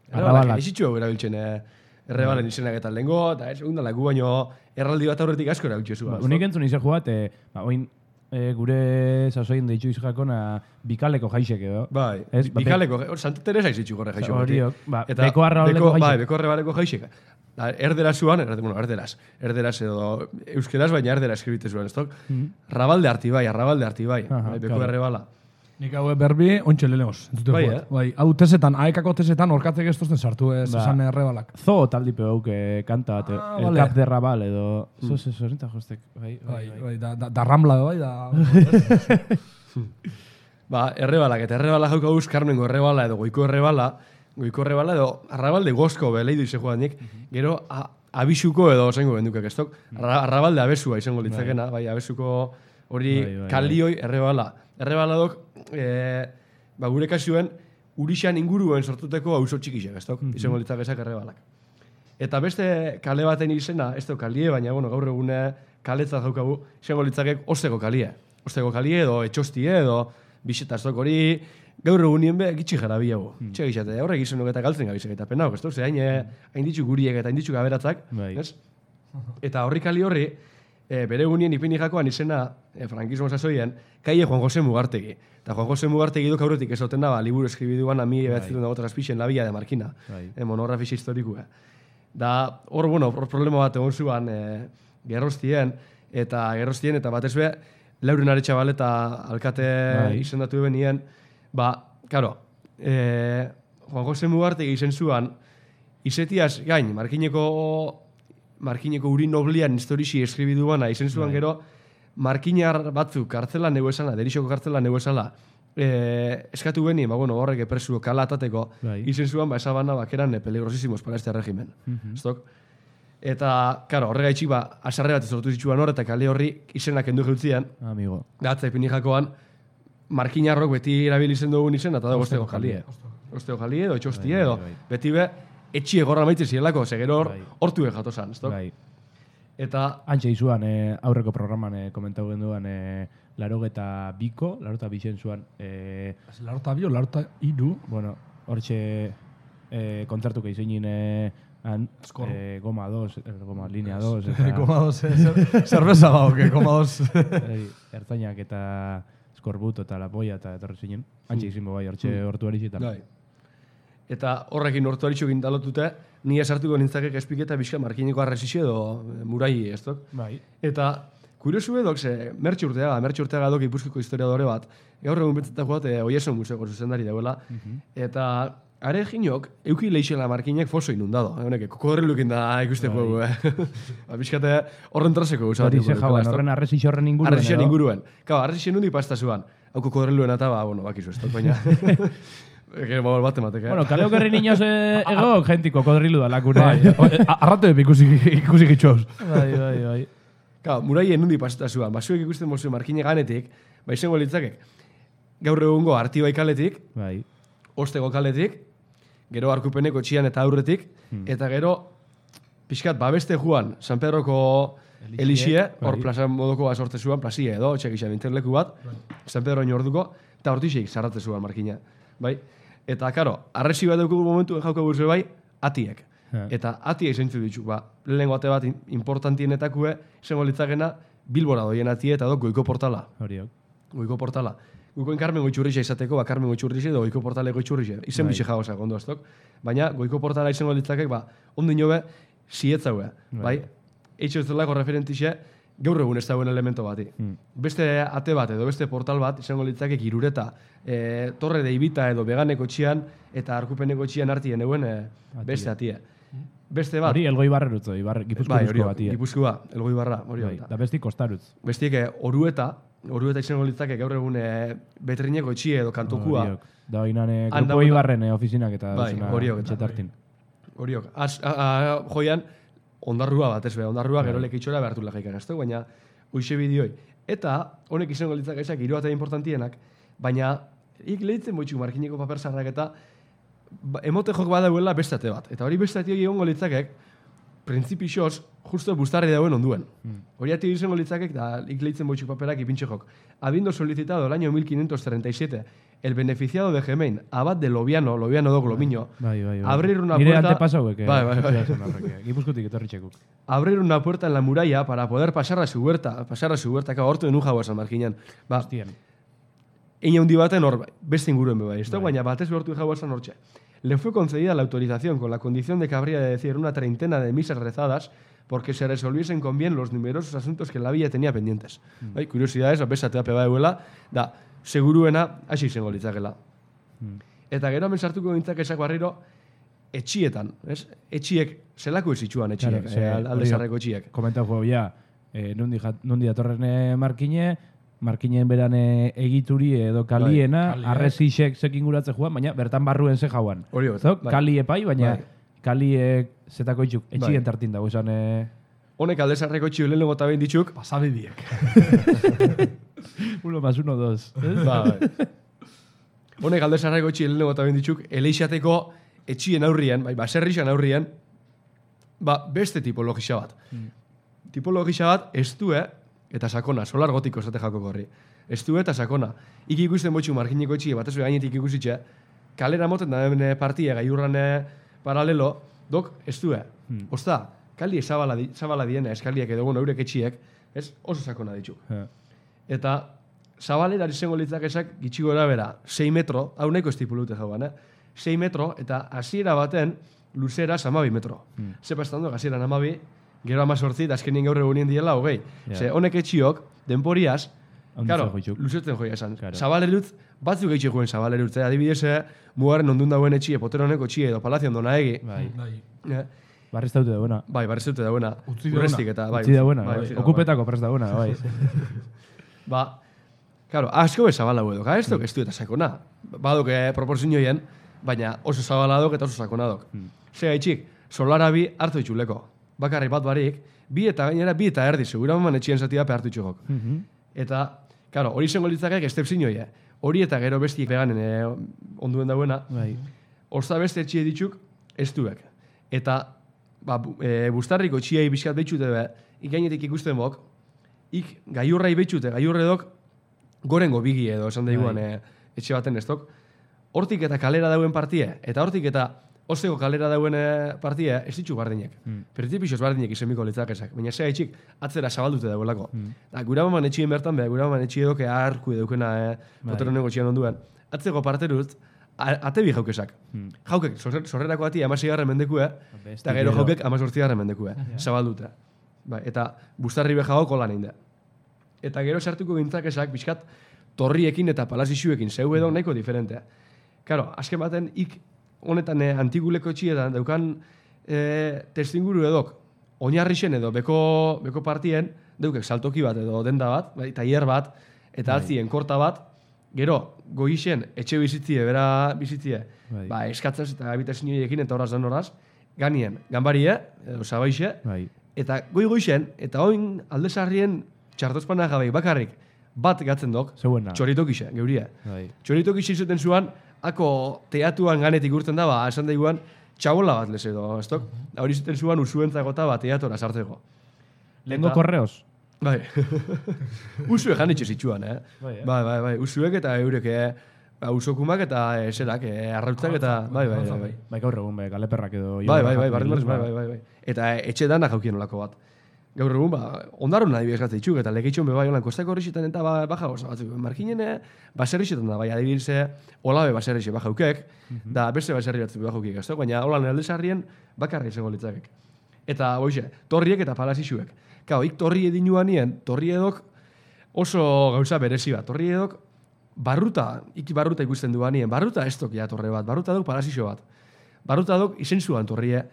Errebalak, ezitxu erabiltzen errebalen izenak eta lehengo, eta ez egun dala gu baino erraldi bat aurretik asko erabiltzen zua. Unik entzun izan joat, oin gure sasoin deitxu izajakona bikaleko jaixek edo. Bai, bikaleko, Santa Teresa izitxu gorre jaixek. Horiok, beko arrabaleko jaixek. Bai, beko arrabaleko jaixek. Erderaz zuan, erderaz edo euskeraz, baina erderaz eskribite zuen, ez tok? Rabalde Artibai, beko errebala. Nik hau berbi, ontxe leleoz. Bai, hau tesetan, aekako tesetan, orkatzek ez tozten sartu ez esan errebalak. Zo taldipe hauk kanta bat, el cap de rabal edo... Zorinta jostek, bai. Da ramla, bai, da... Ba, errebalak, eta errebala jauka guz, Carmengo errebala edo goiko errebala edo arrabalde gozko beleidu ize joanik, gero abisuko edo zengo bendukak ez tok. Arrabalde abesua izango litzakena, bai, abesuko hori kalioi errebala. Errebala dok, gure kasuen, urixan inguruen sortuteko auzo txikixek, ez tok, izango litzakezak errebalak. Eta beste kale baten izena, ez tok kalie, baina gaur egune kaletza jaukagu, izango litzakek osteko kalie. Osteko kalie edo etxostie edo biseta ez tok hori, gaur egunien be gitxi jara bilago. Txe gixate, horrek izanok eta galtzen gabizek eta penauk, ez tok, ze hain ditzu guriek eta hain ditzu gaberatzak, ez? Eta horri kali horri, bere egunien ipini jakoan izena, frankismo sasoien, kaie Juan José Mugartegi. Eta Juan José Mugartegi duk aurretik ezoten daba, liburu eskribiduan ami ebatzitun dago traspixen La Villa de Marquina, monografisa historikua. Da, hor problema bat egon zuan gerrostien, eta batez be, Lauren Aretxabal eta alkate izendatu benien, karo, Juan José Mugartegi izen zuan, izetiaz gain, Markineko uri noblian historixi eskribiduana, izen zuan gero, Markinar batzuk kartzela nego esala, derixoko kartzela nego esala, eskatu beni, horrek epresuko kala atateko, izen zuan, esabana bakeran peligrosísimos para este régimen. Eta, karo, horrega itxik asarre bat izortu zitsuan hor, eta kale horri izenak endu jeutzian, gatza ipini jakoan, Markinarrok beti erabilizen dugun izen, eta da osteko jalie. Osteko jalie edo etxostie edo, beti be, etxie gorra maitzen zielako, segero hortu jatozan, ez dok? Eta... Antxe izuan, aurreko programan komentau genduan, larogeta biko, larogeta bixen zuan... Larogeta bio, larogeta iru? Bueno, hortxe kontzertuko izinin Goma 2, Goma Linea 2... Goma 2, zerbeza gau, Goma 2... Ertzainak eta Skorbuto eta La Polla eta etorri zinen. Antxe izin bai, hortxe hortu erizitan. Eta horrekin hortu aritxo gindalotute, ni esartuko nintzakek espiketa bizka Markineko arresixe edo murai ez dok. Eta kuriosu edok, Mertxe Urteaga dok Ipuzkiko historiadore bat, gaur egun betzetak joat, Oieson Museoko zuzendari dauela, eta are jinok, euki leixela Markinek foso inundado. Honek, kokodrilukin da ikuste puegu, bizkate horren traseko guzatu. Hori ze jauan, horren arresixe horren inguruen. Arresixe inguruen. Kau, arresixe nundi pasta zuan. Hau kokodriluen eta, bakizu ez dok, baina... Bueno, kaleo gerri niños ego, gentiko kodrilu da lakune. Arrate ikusi gitxoz. Bai. Muraien nundi paseta zuan. Basuek ikusten mozu Markine ganetik, izango litzakek, gaur egungo Artibai kaletik, Osteko kaletik, gero Arkupeneko txian eta aurretik, eta gero, pixkat, babeste juan, San Pedroko Elixie, hor plaza modoko sorte zuan, plazia edo, txekixan interleku bat, San Pedro orduko, eta hortixeik zarrate zuan Markina. Bai? Eta, karo, arresi bat dugu momentu jauka burzu bai, atiek. Eta atiek zeintzu ditu. Lehenengo ate bat importantienetakue, izango litzakena, Bilbora doien atie eta goiko portala. Goiko portala. Goikoen Carmen Goitzurrixe izateko, Carmen Goitzurrixe edo goiko portale Goitzurrixe. Izen bixe jagosak ondo ez dok. Baina, goiko portala izango litzakek, ondino be, zietzaue. Bai? Eitxo ez delako referentixe, gaur egun ez dauen elemento bati. Beste ate bat edo beste portal bat, izango litzakek Irureta, Torre de Ibita edo Beganeko txian eta Arkupeneko txian hartien euen beste atie. Beste bat... Hori Elgoi Barrerutzo, Gipuzko batia. Gipuzkoa, Elgoi Barra. Da besti Kostarutz. Bestiek Orueta, Orueta izango litzake gaur egun Betrineko etxie edo kantokua. Da bainane grupo Ibarren ofizinak eta etxetartin. Horiok. Joian, ondarrua bat, ez ondarrua gero lekitxora behartu lagaikan, ez baina uixe bideoi. Eta honek izango litzake ezak hiru eta importantienak, baina ik lehitzen boitxuk markineko paper zarrak eta emote jok badauela bestate bat. Eta hori bestate hori egongo litzakek, printzipixoz, justo bustarri dauen onduen. Hori ati izango litzakek, da ik lehitzen boitxuk paperak ipintxe jok. Habiendo solicitado el año 1537 el beneficiado de Gemein, abad de Lobiano dok Lomiño, abrir una puerta... Nire antepasauek. Gipuzkotik etorritxekuk. Abrir una puerta en la muralla para poder pasar a su huerta, que hortu denun jagoa San Markinan. Eina hundi baten hor, beste inguruen beba. Baina batez behortu jagoa San Hortxe. Le fue concedida la autorización con la condición de que habría de decir una treintena de misas rezadas porque se resolviesen con bien los numerosos asuntos que la villa tenía pendientes. Curiosidades, apesatea peba euela, da, seguruena, hasi izango litzakela. Eta gero hemen sartuko gintzak esak barriro, etxietan, ez? Etxiek, zelako ezitxuan etxiek, alde zarreko etxiek. Komentau jo, nundi datorren Markinen beran egituri edo kaliena, arrezixek zekin guratze joan, baina bertan barruen ze jauan. Hori Kali epai, baina kaliek zetako itxuk, etxien tartin dago esan... Honek alde zarreko etxio lehen legota behin ditxuk. Pasabidiek. 1 más 1, 2. Honek alde zarreko etxio lehen legota behin ditxuk, eleixateko etxien aurrien, baserrixan aurrien, beste tipologisa bat. Tipologisa bat, estue eta sakona, solar gotiko esate jako gorri. Estue eta sakona. Ik ikusten botxu markineko etxie, batez gainetik ikusitxe, kalera moten da partia gaiurran paralelo, dok, estue. Osta, kali zabala diena, eskaliak edo eurek etxiek, ez oso sakona ditu. Eta zabalera izango litzak esak gitxi gora bera, 6 metro, hau nahiko estipulute jauan, 6 metro, eta hasiera baten luzera 12 metro. Zepa estando, hasiera 12, gero 18, azkenien gaur egunien diela, hogei. Ze honek etxiok, denporiaz, luzetzen joia esan. Zabalerutz, batzuk eitxe joen zabalerutz, adibidez, mugaren ondun dauen etxie, potero honeko etxie, edo palazion dona egi. Barrez daute da buena. Barrez daute da buena. Urrestik eta, Utzi da buena, okupetako prez da buena, Claro, asko bez zabala huedok, ez duk estu eta sakona. Badok proporzioen, baina oso zabala dok eta oso sakona dok. Zega itxik, solara bi hartu itxuleko. Bakarri bat barik, bi eta erdi, segura maman etxien zatia hartu itxugok. Eta, claro, hori izango litzakek estepzinoi, hori eta gero bestiek veganen onduen dauena, orza beste etxie ditxuk ez duek. Eta, bustarriko etxiei bizkat behitxute be, ikainetik ikusten bok, ik gaiurrai behitxute, gaiurredok gorengo bigi edo, esan daiguan etxe baten ez dok, hortik eta kalera dauen partie, eta hortik eta osteko kalera dauen partia ez ditxu bardinek. Printzipixoz bardinek izemiko litzakezak. Baina zea etxik atzera zabaldute dagoelako. Gura maman etxien bertan beha, gura maman etxie doke aharku edukena potero negotxian onduen. Atzeko parterut, atebi jaukesak. Jaukek, sorrerako ati 16 mendekue, eta gero jaukek 18 mendekue. Zabaldute. Eta bustarri behago kolan egin da. Eta gero sartuko gintzakezak, bizkat, torriekin eta palazixuekin, zeu edo nahiko diferentea. Karo, azken baten, honetan antiguleko etxietan daukan testinguru edok oinarrixen edo beko partien daukek saltoki bat edo denda bat, tailer bat, eta atzien korta bat, gero goixen etxe bizitzie, bera bizitzie, eskatzaz eta habitazioekin eta horaz dan horaz, ganien, ganbarie, edo zabaixe, eta goixen, eta oin aldezarrien txartozpana gabe bakarrik bat gatzen dok, txoritokixe, geuria. Txoritokixe izuten zuan, ako teatuan ganetik urten da, esan daiguan, txabola bat lez edo, ez dok? Hori zuten zuan usuentzakota teatora sartzeko. Lehenko korreos? Bai. Usue janitxe zitsuan, Bai. Usuek eta eurek, usokumak eta eserak, arrautzak eta, bai. Bai, gaur egun, galeperrak edo... Bai. Eta etxe dana jaukien olako bat. Gaur egun, ondarun nahi bezgatzen itxuk, eta legitxon bebai olan kostako horrexetan eta baja goza batzuk. Markinen baserrixetan da, bai, adibilze olabe baserrixe bajaukek, da beste baserri batzuk bajaukik, ez da? Baina holan aldezarrien bakarri izango litzakek. Eta, boixe, torriek eta palazixuek. Kao, ik torri edinuan nien, torri edok oso gauza berezi bat. Torri edok barruta ikusten duan nien, barruta ez dok ja torre bat, barruta dok palazixo bat. Barruta dok izen zuan torrie.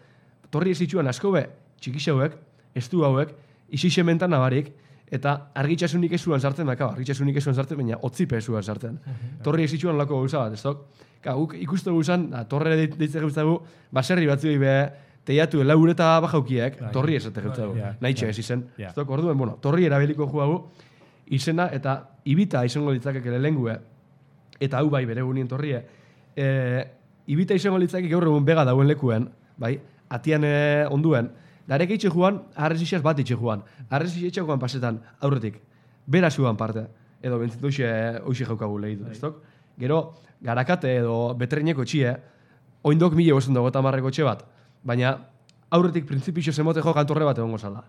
Torri ez itxuan asko be, txikixauek, estu hauek, isisementan nabarik, eta argitxasunik esuan sartzen, argitxasunik esuan sartzen, baina otzipe esuan sartzen. Torri esitxuan lako gauza bat, ez dok? Guk ikustu guzan, torre deitzek gauzagu, baserri batzuei be, teiatu laure eta bajaukiek, torri esate gauzagu. Nahitxe ez izen. Ez dok, orduen, torri erabiliko juagu, izena eta ibita izango litzakek ere lengue, eta hau bai bere gunien torrie, ibita izango litzakek gaur egun bega dauen lekuen, bai, atian onduen, darek eitxe juan, arrezixaz bat eitxe juan. Arrezixaz juan pasetan, aurretik, bera zuan parte, edo bentzitu hoxe jaukagu lehidu, ez dok? Gero, garakate edo betreineko txie, oindok 1550 txe bat, baina aurretik printzipixo zemote jo kantorre bat egongo zala.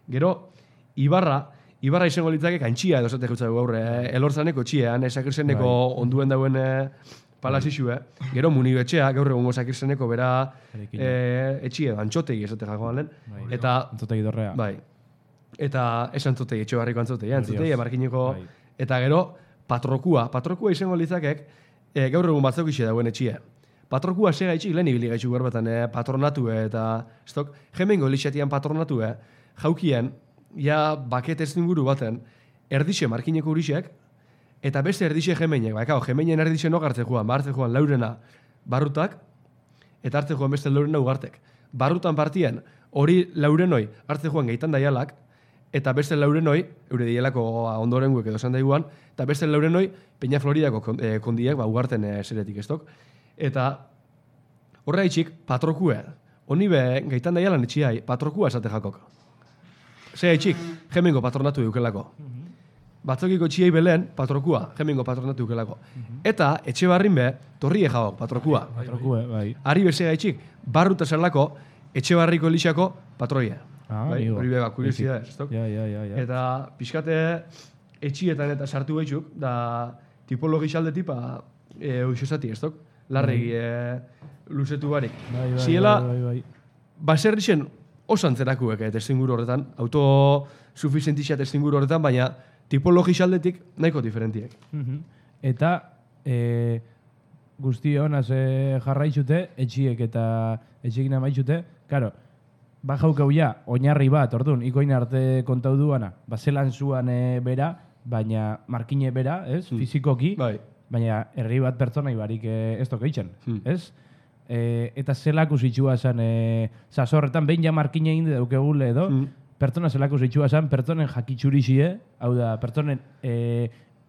Gero, Ibarra izango litzake kantxia edo zate jutzago gaur, elortzaneko txiean, sakirzeneko onduen dauen palazizue, gero munibetxea, gaur egongo sakirzeneko bera etxie, antxotegi esate jago galen. Eta antzotegi dorrea. Bai. Eta ez antzotegi, etxe barriko antzotegi, antzotegi, markineko, eta gero patrokua izango litzakek, gaur egun batzuk ixe dauen etxie. Patrokua sega itxik lehen ibili gaitxuk berbatan patronatu eta stok, jemengo lixatian patronatu jaukien, ja baket ez inguru baten, erdixe markineko urixek, eta beste erdixe jemeinek, jemeinen erdixe nok hartze joan, hartze joan laurena barrutak, eta hartze joan beste laurena ugartek. Barrutan partien, hori laurenoi hartze joan gaitan daialak, eta beste laurenoi, eure dielako ondorenguek edo esan daiguan, eta beste laurenoi Peña Floridako kondiek, ugarten zeretik estok. Eta horre haitxik, patrokue, honi be gaitan daialan etxiai, patrokua esate jakok. Zer haitxik, jemengo patronatu dukelako. Batzokiko txiei belen, patrokua, jemengo patronatu dukelako. Eta etxe barrin be, torrie jaok, patrokua. Patrokue, bai. Ari bezea haitxik, barruta zelako, etxe barriko lixako patroia. Hori bega, kuriosidades, estok? Ja. Eta pixkate etxietan eta sartu behitxuk, da tipologi xalde tipa uixosati, estok? Larregi luzetu barik. Ziela, baserrixen osan zerakuek testinguru horretan, autosuficientixia testinguru horretan, baina tipologi xaldetik nahiko diferentiek. Eta guzti honaz jarraitzute, etxiek eta etxekin amaitzute, karo, bajaukau ja, oinarri bat, orduan, ikoin arte kontau duana, zelan zuan bera, baina markine bera, ez, fizikoki, baina herri bat pertsona ibarik ez tokeitzen, ez? Eta zelako zitxua zen, zazorretan, behin ja markine inde daukegule edo, pertsona zelako zitxua zen, pertsonen jakitxurizie, hau da, pertsonen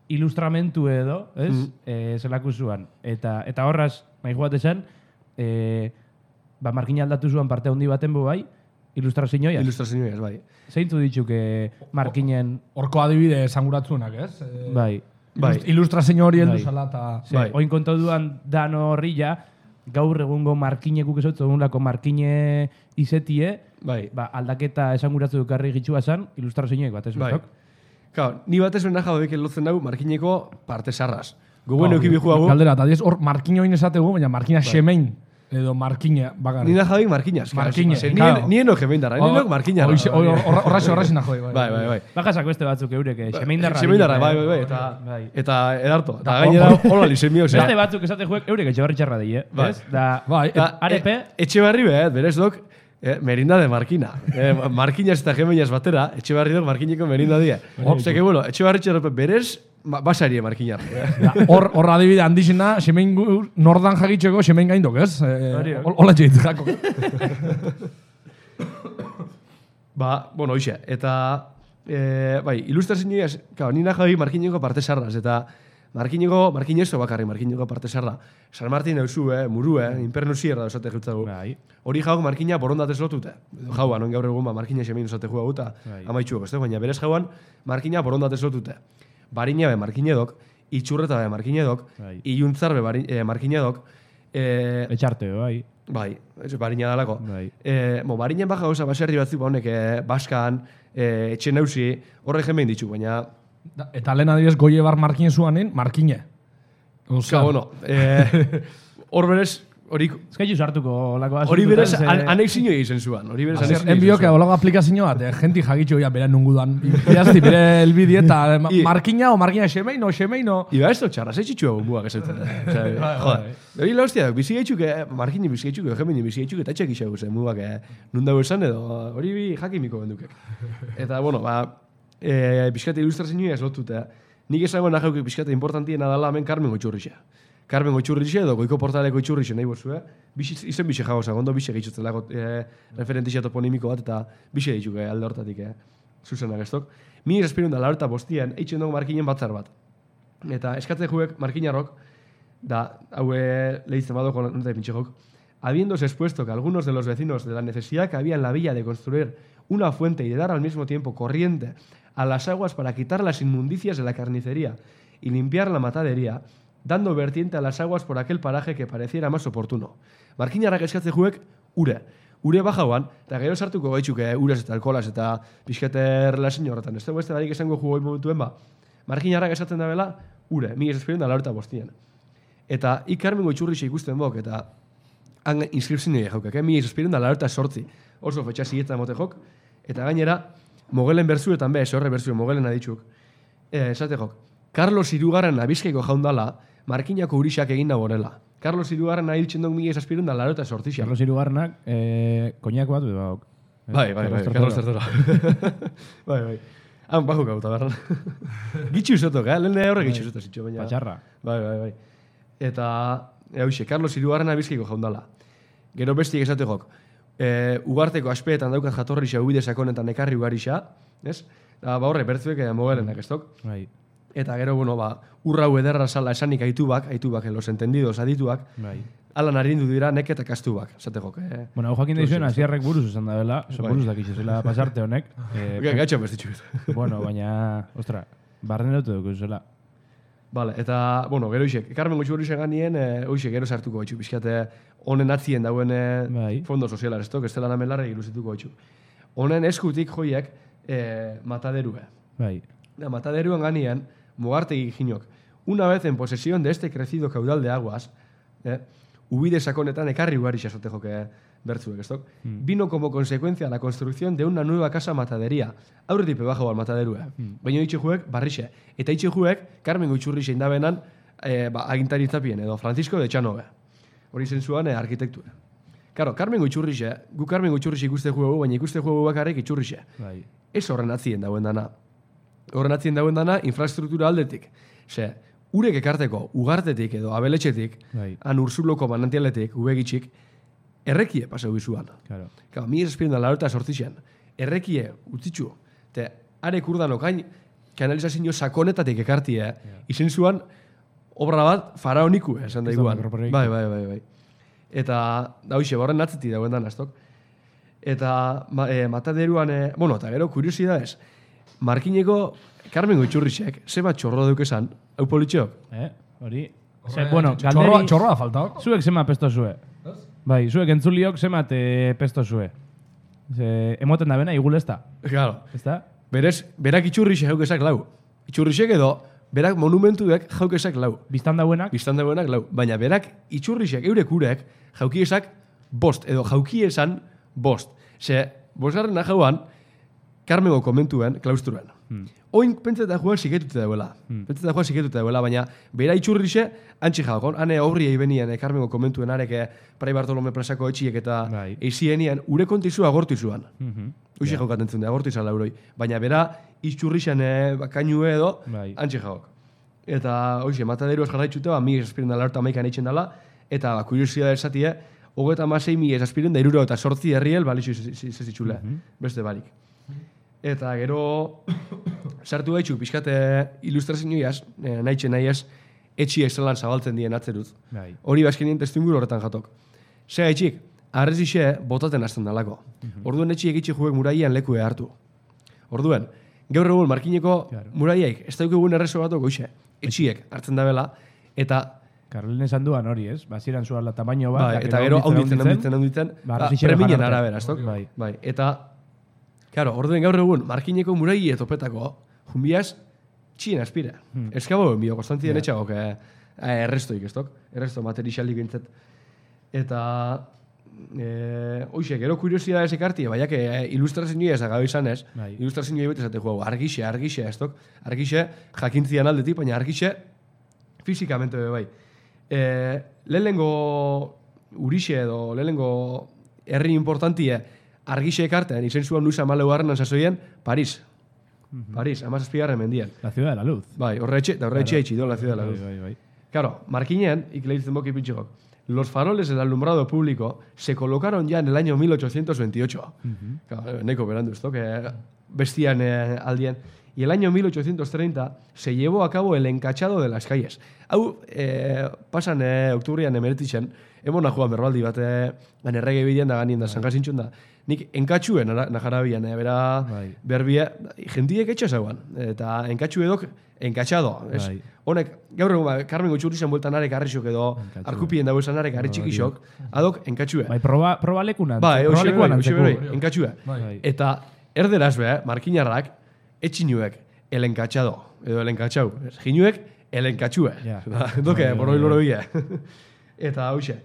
ilustramentu edo, ez, zelako zuan. Eta horraz, nahi joate zen, markine aldatu zuan parte handi baten bu bai, ilustrazioiaz. Ilustrazioiaz, bai. Zeintzu ditxuk markinen... Horko adibide esanguratzunak, ez? Bai. Ilustrazio hori heldu zala eta... Oin kontau duan dano horrilla, gaur egungo markinekuk esotzu, egunlako markine izetie, aldaketa esanguratzu dukarri gitxua zen, ilustrazioek bat ez betok. Ni batez bena jababek elotzen dugu markineko parte sarraz. Goguen eukibi juago... Galdera, eta diez hor markine oin esategu, baina markina semein. Edo markina bakarrik. Nina jabik markinas. Nien oge behin darra, nien oge markina. Horraxi nahi. Bai. Bajazak beste batzuk eurek, semein darra. Semein darra, bai. Eta edarto. Eta gainera hola lisemio. Beste batzuk esate juek eurek etxe txarra die. Arepe. Etxe barri berez dok, merinda de markina. Markinas eta gemeinas batera, etxe barri dok markineko merinda die. Zeke, bueno, etxe barri txarra berez, basarie markinar. Hor adibide handizena, semein nordan jagitzeko semein gaindok, ez? Hola txeitz jako. Bueno, hoxe. Eta, ilustrazioa, nina jabi markineko parte sarraz, eta markinezo bakarri markineko parte sarra. San Martin eusu, muru, inpernu zierra esate jutzagu. Hori jauk markina borondatez lotute. Jauan, gaur egun markina semein esate juagu eta amaitxuak, ez da? Baina berez jauan markina borondatez lotute. Barina be markinedok, itxurreta be markinedok, iluntzar be markinedok. Etxarte, bai. Bai, barina dalako. Barinen baja gauza baserri batzuk honek baskan, etxe nauzi, horre jemein ditu, baina... Eta lehen adibidez goie bar markine zuanen, markine. Bueno, hor berez, Eskaitu sartuko lako hori berez anexinio egiten zuan. Enbioke olago aplikazio bat, jenti jagitxo bera nungudan. Iazti, bere elbidi eta markina o markina xemeino. Iba ez txarra, ze txitxua gumbuak esaten. Joder. Hori la hostia, bizi gaitxuk, markini bizi gaitxuk, gemini bizi gaitxuk, eta txek isagu zen, mugak, nundago esan edo, hori jakimiko bendukek. Eta, bueno, pixkate ilustrazioa ez lotute. Nik esango nahi pixkate importantiena dela hemen Carmen Goitzurrixe. Carmen Goitzurrixe edo Goiko Portaleko Goitzurrixe nahi bozue. Izen bixe jagoza, gondo bixe gehitzutzela referentizia toponimiko bat eta bixe dituk alde hortatik, zuzenak ez dok. Mi espirun da laurta bostian, eitzen dugu markinen batzar bat. Eta eskatze juek markinarrok, da, haue lehitzen badoko nota pintxekok, habiéndose expuesto que algunos de los vecinos de la necesidad que había en la villa de construir una fuente y de dar al mismo tiempo corriente a las aguas para quitar las inmundicias de la carnicería y limpiar la matadería, dando vertiente a las aguas por aquel paraje que pareciera más oportuno. Markinarrak eskatze juek, ure bajauan, eta gero sartuko gaitxuke urez eta alkolaz eta pixkete relazio horretan. Ez dugu ez darik esango jugoi momentuen ba. Markinarrak esaten da bela, mi ez esperion da laurta bostian. Eta Carmen Goitzurrixe ikusten bok, eta han inskripzioa jaukak, mi ez esperion da laurta sortzi. Oso fetxa zietan mote jok, eta gainera, Mogelen berzuetan be, horre berzue Mogelen aditxuk. Esate jok, Carlos Irugarren Bizkaiko jaundala, Markinako urixak egin nagorela. Carlos Irugarren ahiltzen duk mila esperion da laurta sortzixa. Carlos Irugarrenak, koñak bat, bauk. Bai, Carlos Tertoro. Bai. Han bajo gauta, berran. Gitxu usotok, lehen horre gitxu usotok zitxo, baina. Patxarra. Bai. Eta, Carlos Irugarren Bizkaiko jaundala. Gero bestiek esate jok. Ugarteko aspeetan daukat jatorrixa ubide sakonetan ekarri ugarixa, ez? Horre, bertzuek Mogelenak ez dok. Bai. Eta gero, urrau ederra sala esanik aitubak, los entendidos adituak, Bai. ala narindu dira neketa kastubak, esate jok. Bueno, hau jakin daizuen, Asiarrek buruz esan da dela, buruz dakitxe zela pasarte honek. Gatxo bestitxu. Bueno, baina, ostra, barren dut duk zela. Vale, eta, gero isek, Carmen Goitzurrixe ganien, gero sartuko gaitxu, pixkate honen atzien dauen fondo sozialar, ez dok, ez dela namelarra iruzituko gaitxu. Honen eskutik joiek mataderue. Bai. Mataderuan ganien, Mugartegi ginok, una vez en posesión de este crecido caudal de aguas, ubide sakonetan ekarri ugarixa esote joke bertzuek, ez dok, vino como consecuencia la construcción de una nueva casa matadería. Aurretipe bajo al mataderue. Baina itxe juek, barrixe. Eta itxe juek, Carmen Goitzurrixe indabenan, agintaritzapien, edo Francisco de Txanove. Hori zen zuan arkitektura. Karo, Carmen Goitzurrixe, gu Carmen Goitzurrixe ikuste juegu, baina ikuste juegu bakarrik Itzurrixe. Bai. Ez horren atzien dauen dana. Horren atzien dauen dana, infrastruktura aldetik. Ze, urek ekarteko, ugartetik edo abeletxetik, han Ursuloko manantialetik, ubegitxik, errekie pasau bizuan. Claro. Mi ez espirion da laurta sortzixian. Errekie utzitxu. Te, arek urdanokain, kanalizazio sakonetatik ekartie, izen zuan, obra bat faraoniku, esan da iguan. Bai. Eta, hoxe, horren atzeti dauen dan, aztok. Eta, mataderuan, eta gero, kuriosidades, Markineko Carmen Goitzurrixek, zeba txorro duk esan, hau politxok? Hori. Galderi... Txorroa faltaok. Zuek zema pesto zue. Bai, zuek entzuliok zemat pesto zue. Emoten da bena, igulezta. Claro. Ezta? Berez, berak Itzurrixe jaukesak lau. Itzurrixek edo, berak monumentuek jaukesak lau. Biztan dauenak? Biztan dauenak lau. Baina berak Itzurrixek, eurek urek, jaukiesak bost, edo jaukiesan bost. Ze, bosgarren jauan, Carmengo komentuen, klaustruan. Oin pentseta joan siketute dauela. Baina bera Itzurrixe antxe jaukon. Hane horri benien Carmengo komentuen areke Prai Bartolome plazako etxiek eta eizienien ure kontizu agortu zuan. Uxe jaukaten zuen, agortu izan lauroi. Baina bera Itzurrixen kainue edo antxe jauk. Eta hoxe, mataderu ez jarraitxute, mi esaspiren da laurta maikan eitzen dela, eta kuriosidade esatie, 36.000 esaspiren da 68 herriel balixu zezitxule, beste barik. Eta gero sartu gaitxu pixkate ilustrazioiaz, nahiez, etxi ezelan zabaltzen dien atzeruz. Hori bazkenien testinguru horretan jatok. Ze gaitxik, arrezixe botaten hasten dalako. Orduen etxi egitxe juek muraian lekue hartu. Orduen, gaur egun Markineko muraiaik, ez daukegun errezo batok goixe, etxiek hartzen da bela, eta... Karlen esan duan hori, ez? Baziran zuala tamaino bat. Eta gero haunditzen, preminen arabera, ez dok? Bai, eta... Claro, orduen gaur egun, Markineko murai etopetako, junbiaz, txien aspira. Eskabo, bio, konstantzien etxagok, errestoik, ez dok? Erresto materialik bintzet. Eta, hoxe, gero kuriosidades ekarti, baiak ilustrazioa ez agabe izan ez, ilustrazioa bete esate jugu, argixe, ez dok? Argixe, jakintzian aldetik, baina argixe, fizikamente bai. Lehenengo urixe edo, lehenengo herri importantie, argixe ekartean, izen zuen Luis Amaleu Arnan sasoien, Paris. Paris, 17. mendian. La ciudad de la luz. Bai, horre etxe itxido, la ciudad de la luz. Bai. Claro, Markinean, ikleitzen boki pitxegok, los faroles del alumbrado público se colocaron ya en el año 1828. Claro, neko berandu esto, que bestian aldien. Y el año 1830 se llevó a cabo el encachado de las calles. Hau, pasan oktubrian emeretitzen, emona joan berbaldi bat, errege bidean da ganien da, zankasintxun da. Nik enkatxuen najarabian, bera berbia, jendiek etxasagoan. Eta enkatxu edok, enkatxado. Honek, gaur egun, Carmen Gutxurrizan bueltan arek arrisok edo, arkupien dago esan arek arritxikisok, adok enkatxue. Bai, proba lekunan. Bai, enkatxue. Eta erderaz be, markinarrak, etxinuek, el enkatxado, edo el enkatxau. Jinuek, el enkatxue. Doke, borroi loro bia. Eta hauxe.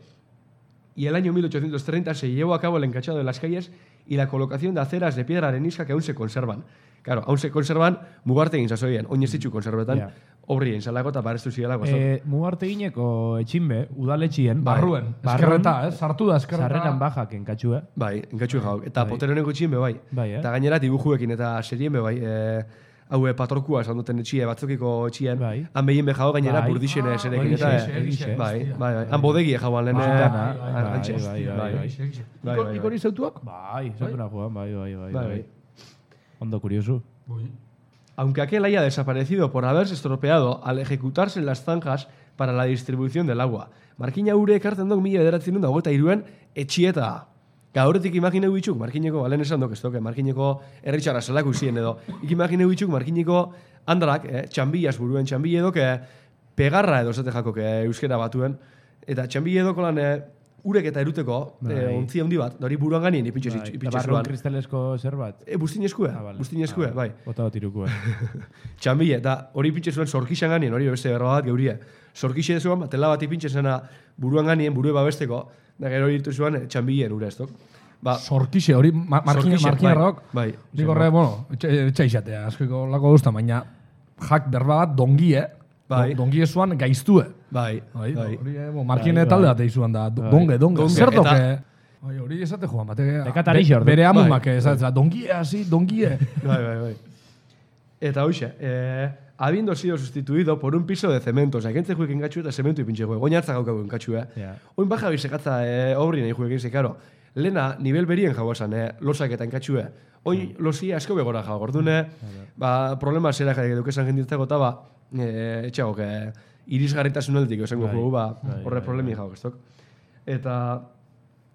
Y el año 1830 se llevó a cabo el encachado de las calles y la colocación de aceras de piedra arenisca que aún se conservan. Claro, aún se conservan, mugarte egin zazoien, oinezitxu konserbetan, horri egin zalako eta parestu zidelako. Mugarte egineko etxinbe, udaletxien. Barruen, eskerreta, sartu da eskerreta. Sarreran bajak enkatxue. Bai, enkatxue jauk. Eta poteroneko etxinbe bai. Eta gainera dibujuekin eta serienbe bai. Haue patorkua esan duten etxie, batzukiko etxien. Han behien behau gainera burdixen eserekin. Bai. Han bodegie jauan lehen. Iko hori zautuak? Bai, zautuna joan, bai. Ondo curioso. Aunque aquel haya desaparecido por haberse estropeado al ejecutarse en las zanjas para la distribución del agua. Markina ure ekartzen dok 1923an etxieta. Gauretik imagineu bitxuk, Markineko, balen esan dok ez doke, Markineko erritxarra zelako izien edo. Imagineu bitxuk, Markineko handarak, txambillas buruen, txambille edok, pegarra edo zate jakok euskera batuen. Eta txambille edoko lan urek eta eruteko, ontzia hundi bat, da hori buruan ganien ipintxe zuan. Eta barruan kristalesko zer bat? Bustinezkue, bai. Bota bat irukue. Txambille, eta hori ipintxe zuen zorkixan ganien, hori beste berba bat geurie. Zorkixe zuen, tela bat ipintxe zena buruan ganien, burue babesteko, da gero hori irtu zuen txambilleen ure ez dok. Zorkixe, hori markinarrok, nik horre, etxaixatea, askoiko lako duzta, baina jak berba bat dongie, dongie zuan gaiztue. Markine talde bat eizuan da, donge. Zer doke? Hori esate joan, bere amumak dongie hasi, dongie. Bai. Eta hoxe, habiendo sido sustituido por un piso de cemento. Osa, egentze juekin gatxu eta zementu ipintxe juek. Oin hartza gaukago enkatxu, Oin baja bizekatza obri nahi juekin ze, karo. Lena, nivel berien jau esan, losak eta enkatxu. Oin losia asko begora jau. Gordune, problema zera jai dukesan jenditzeko eta etxagok, irisgarritasun aldetik, esango jugu, horre problemi jau, estok. Eta,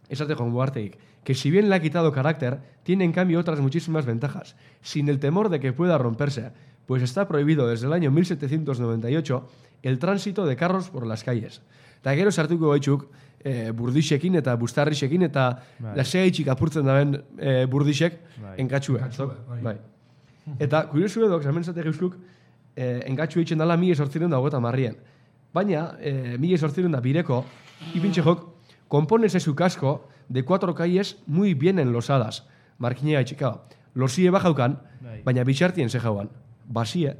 esate joan buarteik, que si bien le ha quitado carácter, tiene en cambio otras muchísimas ventajas, sin el temor de que pueda romperse, pues está prohibido desde el año 1798 el tránsito de carros por las calles. Eta gero sartuko gaitzuk, burdixekin eta bustarrixekin eta lasea itxik apurtzen daben burdixek enkatxue. Bai. Eta kuriosu edok, hemen zatek euskuk, enkatxue itxen dala 1850 Baina, 1800 bireko, ipintxe jok, compone ese su casco de 4 calles muy bien enlosadas. Markinea itxikaba. Losie bajaukan, baina bitxartien ze jauan. Basie.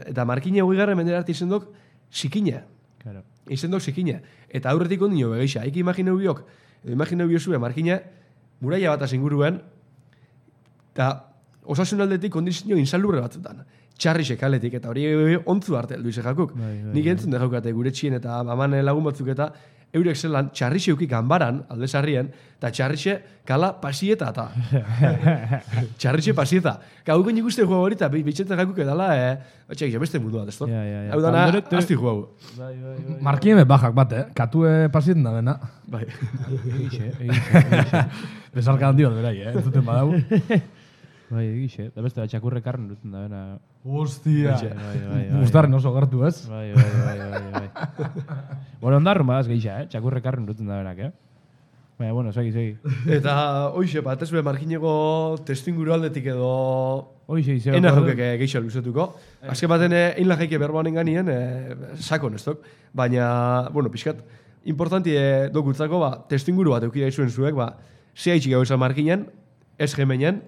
Eta markine hogegarren menderarte izen dok sikine. Izen dok sikine. Eta aurretik ondino begeixa. Eki imagineu biok, imagineu biozue markine, muraia bat asinguruen, eta osasun aldetik kondizio insalurre batzutan. Txarrixek aletik, eta hori ontzu arte heldu ize jakuk. Nik entzun da jaukate gure txien eta aman lagun batzuk eta eurek zelan txarrixe eukik ganbaran, aldezarrien, eta txarrixe kala pasieta eta. Txarrixe pasieta. Hau nik uste juego hori eta bitxetzen jakuk edala, batxeak, beste mundu bat, ez to? Hau dana, azti juego. Markien bajak bat, katue pasieten da bena. Bai. Egixe. Bezarka handi bat berai, entzuten badau. Bai, egixe. Da beste txakurre karren duten da bena. Hostia. Gustarren oso gertu, ez? Bai. Bueno, ondarrun badaz gehixa, txakurre karren duten da benak, Baina, bueno, segi. Eta, hoxe, bat ez be markineko testinguru aldetik edo... Hoxe, izan. Ena jokek gehixa luzetuko. Azken baten, einla jaike berboanen ganien, sakon ez dok. Baina, bueno, pixkat, importanti dokutzako, testinguru bat eukidea izuen zuek, zea itxik gau izan markinen, ez gemenen,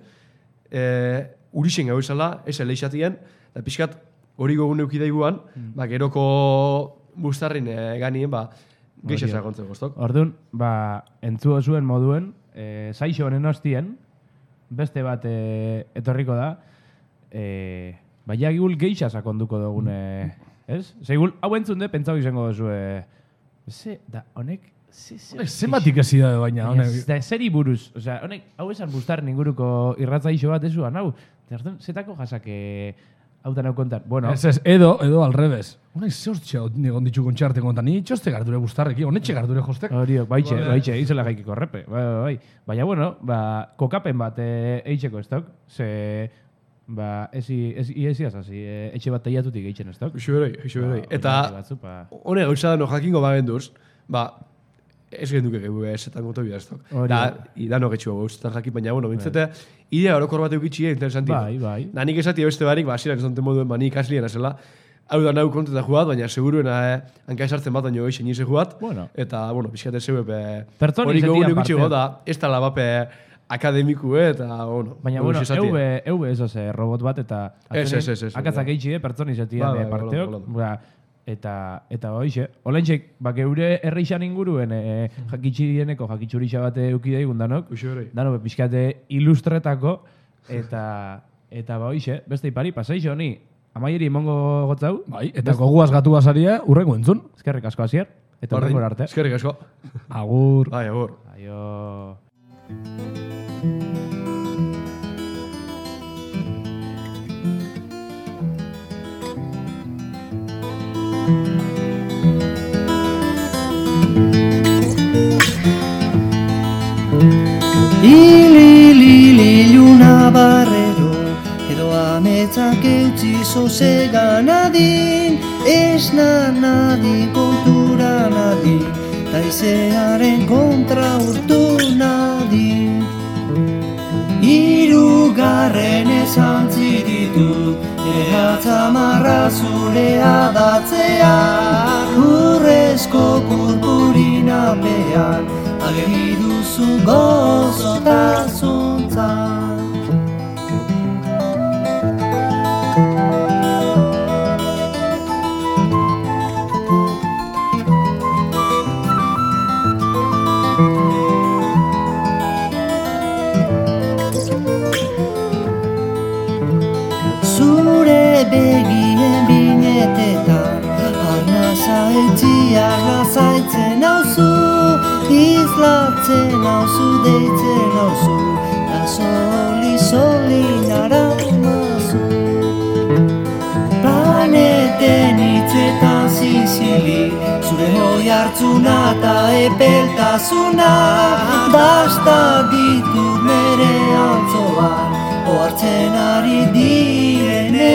urixen gau izala, ez eleixatien, eta pixkat, hori gogun eukidea iguan, geroko bustarrin ganien, geixa zagontzeko, estok? Orduan, entzuo zuen moduen, saixo honen hostien, beste bat etorriko da, baina gul geixa sakonduko dugune, ez? Segul, hau entzun de, pentsau izango duzu, da, honek, zenbatik ezi da baina, honek. Da, zeri buruz, osea, honek, hau esan bustaren inguruko irratzaixo bat ezuan, hau, zetako jasake hau da nau kontar. Bueno, ez, edo al revés. Honek zehostxe negon ditu kontxarte kontan, ni txoste gardure bustarreki, honetxe gardure jostek. Horiok, baitxe, izela jaikiko repe. Baina, bueno, kokapen bat eitzeko estok, ze, ezi azasi, etxe bat teiatutik eitzen estok. Eixo beroi. Eta, honek gauza da no jakingo bagenduz, ez genduke gehu esetan goto bidaztok. Da no getxu gauzetan jakin, baina, bueno, bintzete, idea horokor bat eukitxie interesanti. Bai. Ba, nik esati beste barik, asirak esante moduen, nik aslien azela, hau da nahu konteta jugat, baina seguruena hanka esartzen bat, baina eixen nise jugat. Eta, bueno, pixkate zeu hori gogun eukitxie da, ez tala bape akademiku eta, bueno. Baina, bueno, eube ez robot bat, eta akatzak eitxie, pertsoni zetian parteok. Eta hoize, olentxek, geure erreixan inguruen jakitxurixa bat eukidei gundanok, dano, pixkate ilustretako, eta hoize, beste ipari, pasaixo honi, amaieri imongo gotzau. Bai, eta goguaz gatu basaria, urrengo entzun. Eskerrik asko hasier, eta urrengo arte. Eskerrik asko. Agur. Bai, agur. Aio. Iluna barrero edo ametzak eutzi sosega nadin, esna nadin, kontura nadin, taizearen kontra urtu nadin. Hirugarren esantzi ditut, eratzamarra zure adatzea, urrezko purpurinapean, ageri duzu gozotasuntzan. Zure begien binetetan, arnaza etxiak lazaitzen hauzu, izlatzen hauzu, deitzen hauzu, da soli naramazu. Planeten hitzetan zizili, zure hoi hartzuna eta epeltasuna, dasta ditut nere antzoan, ohartzen ari direne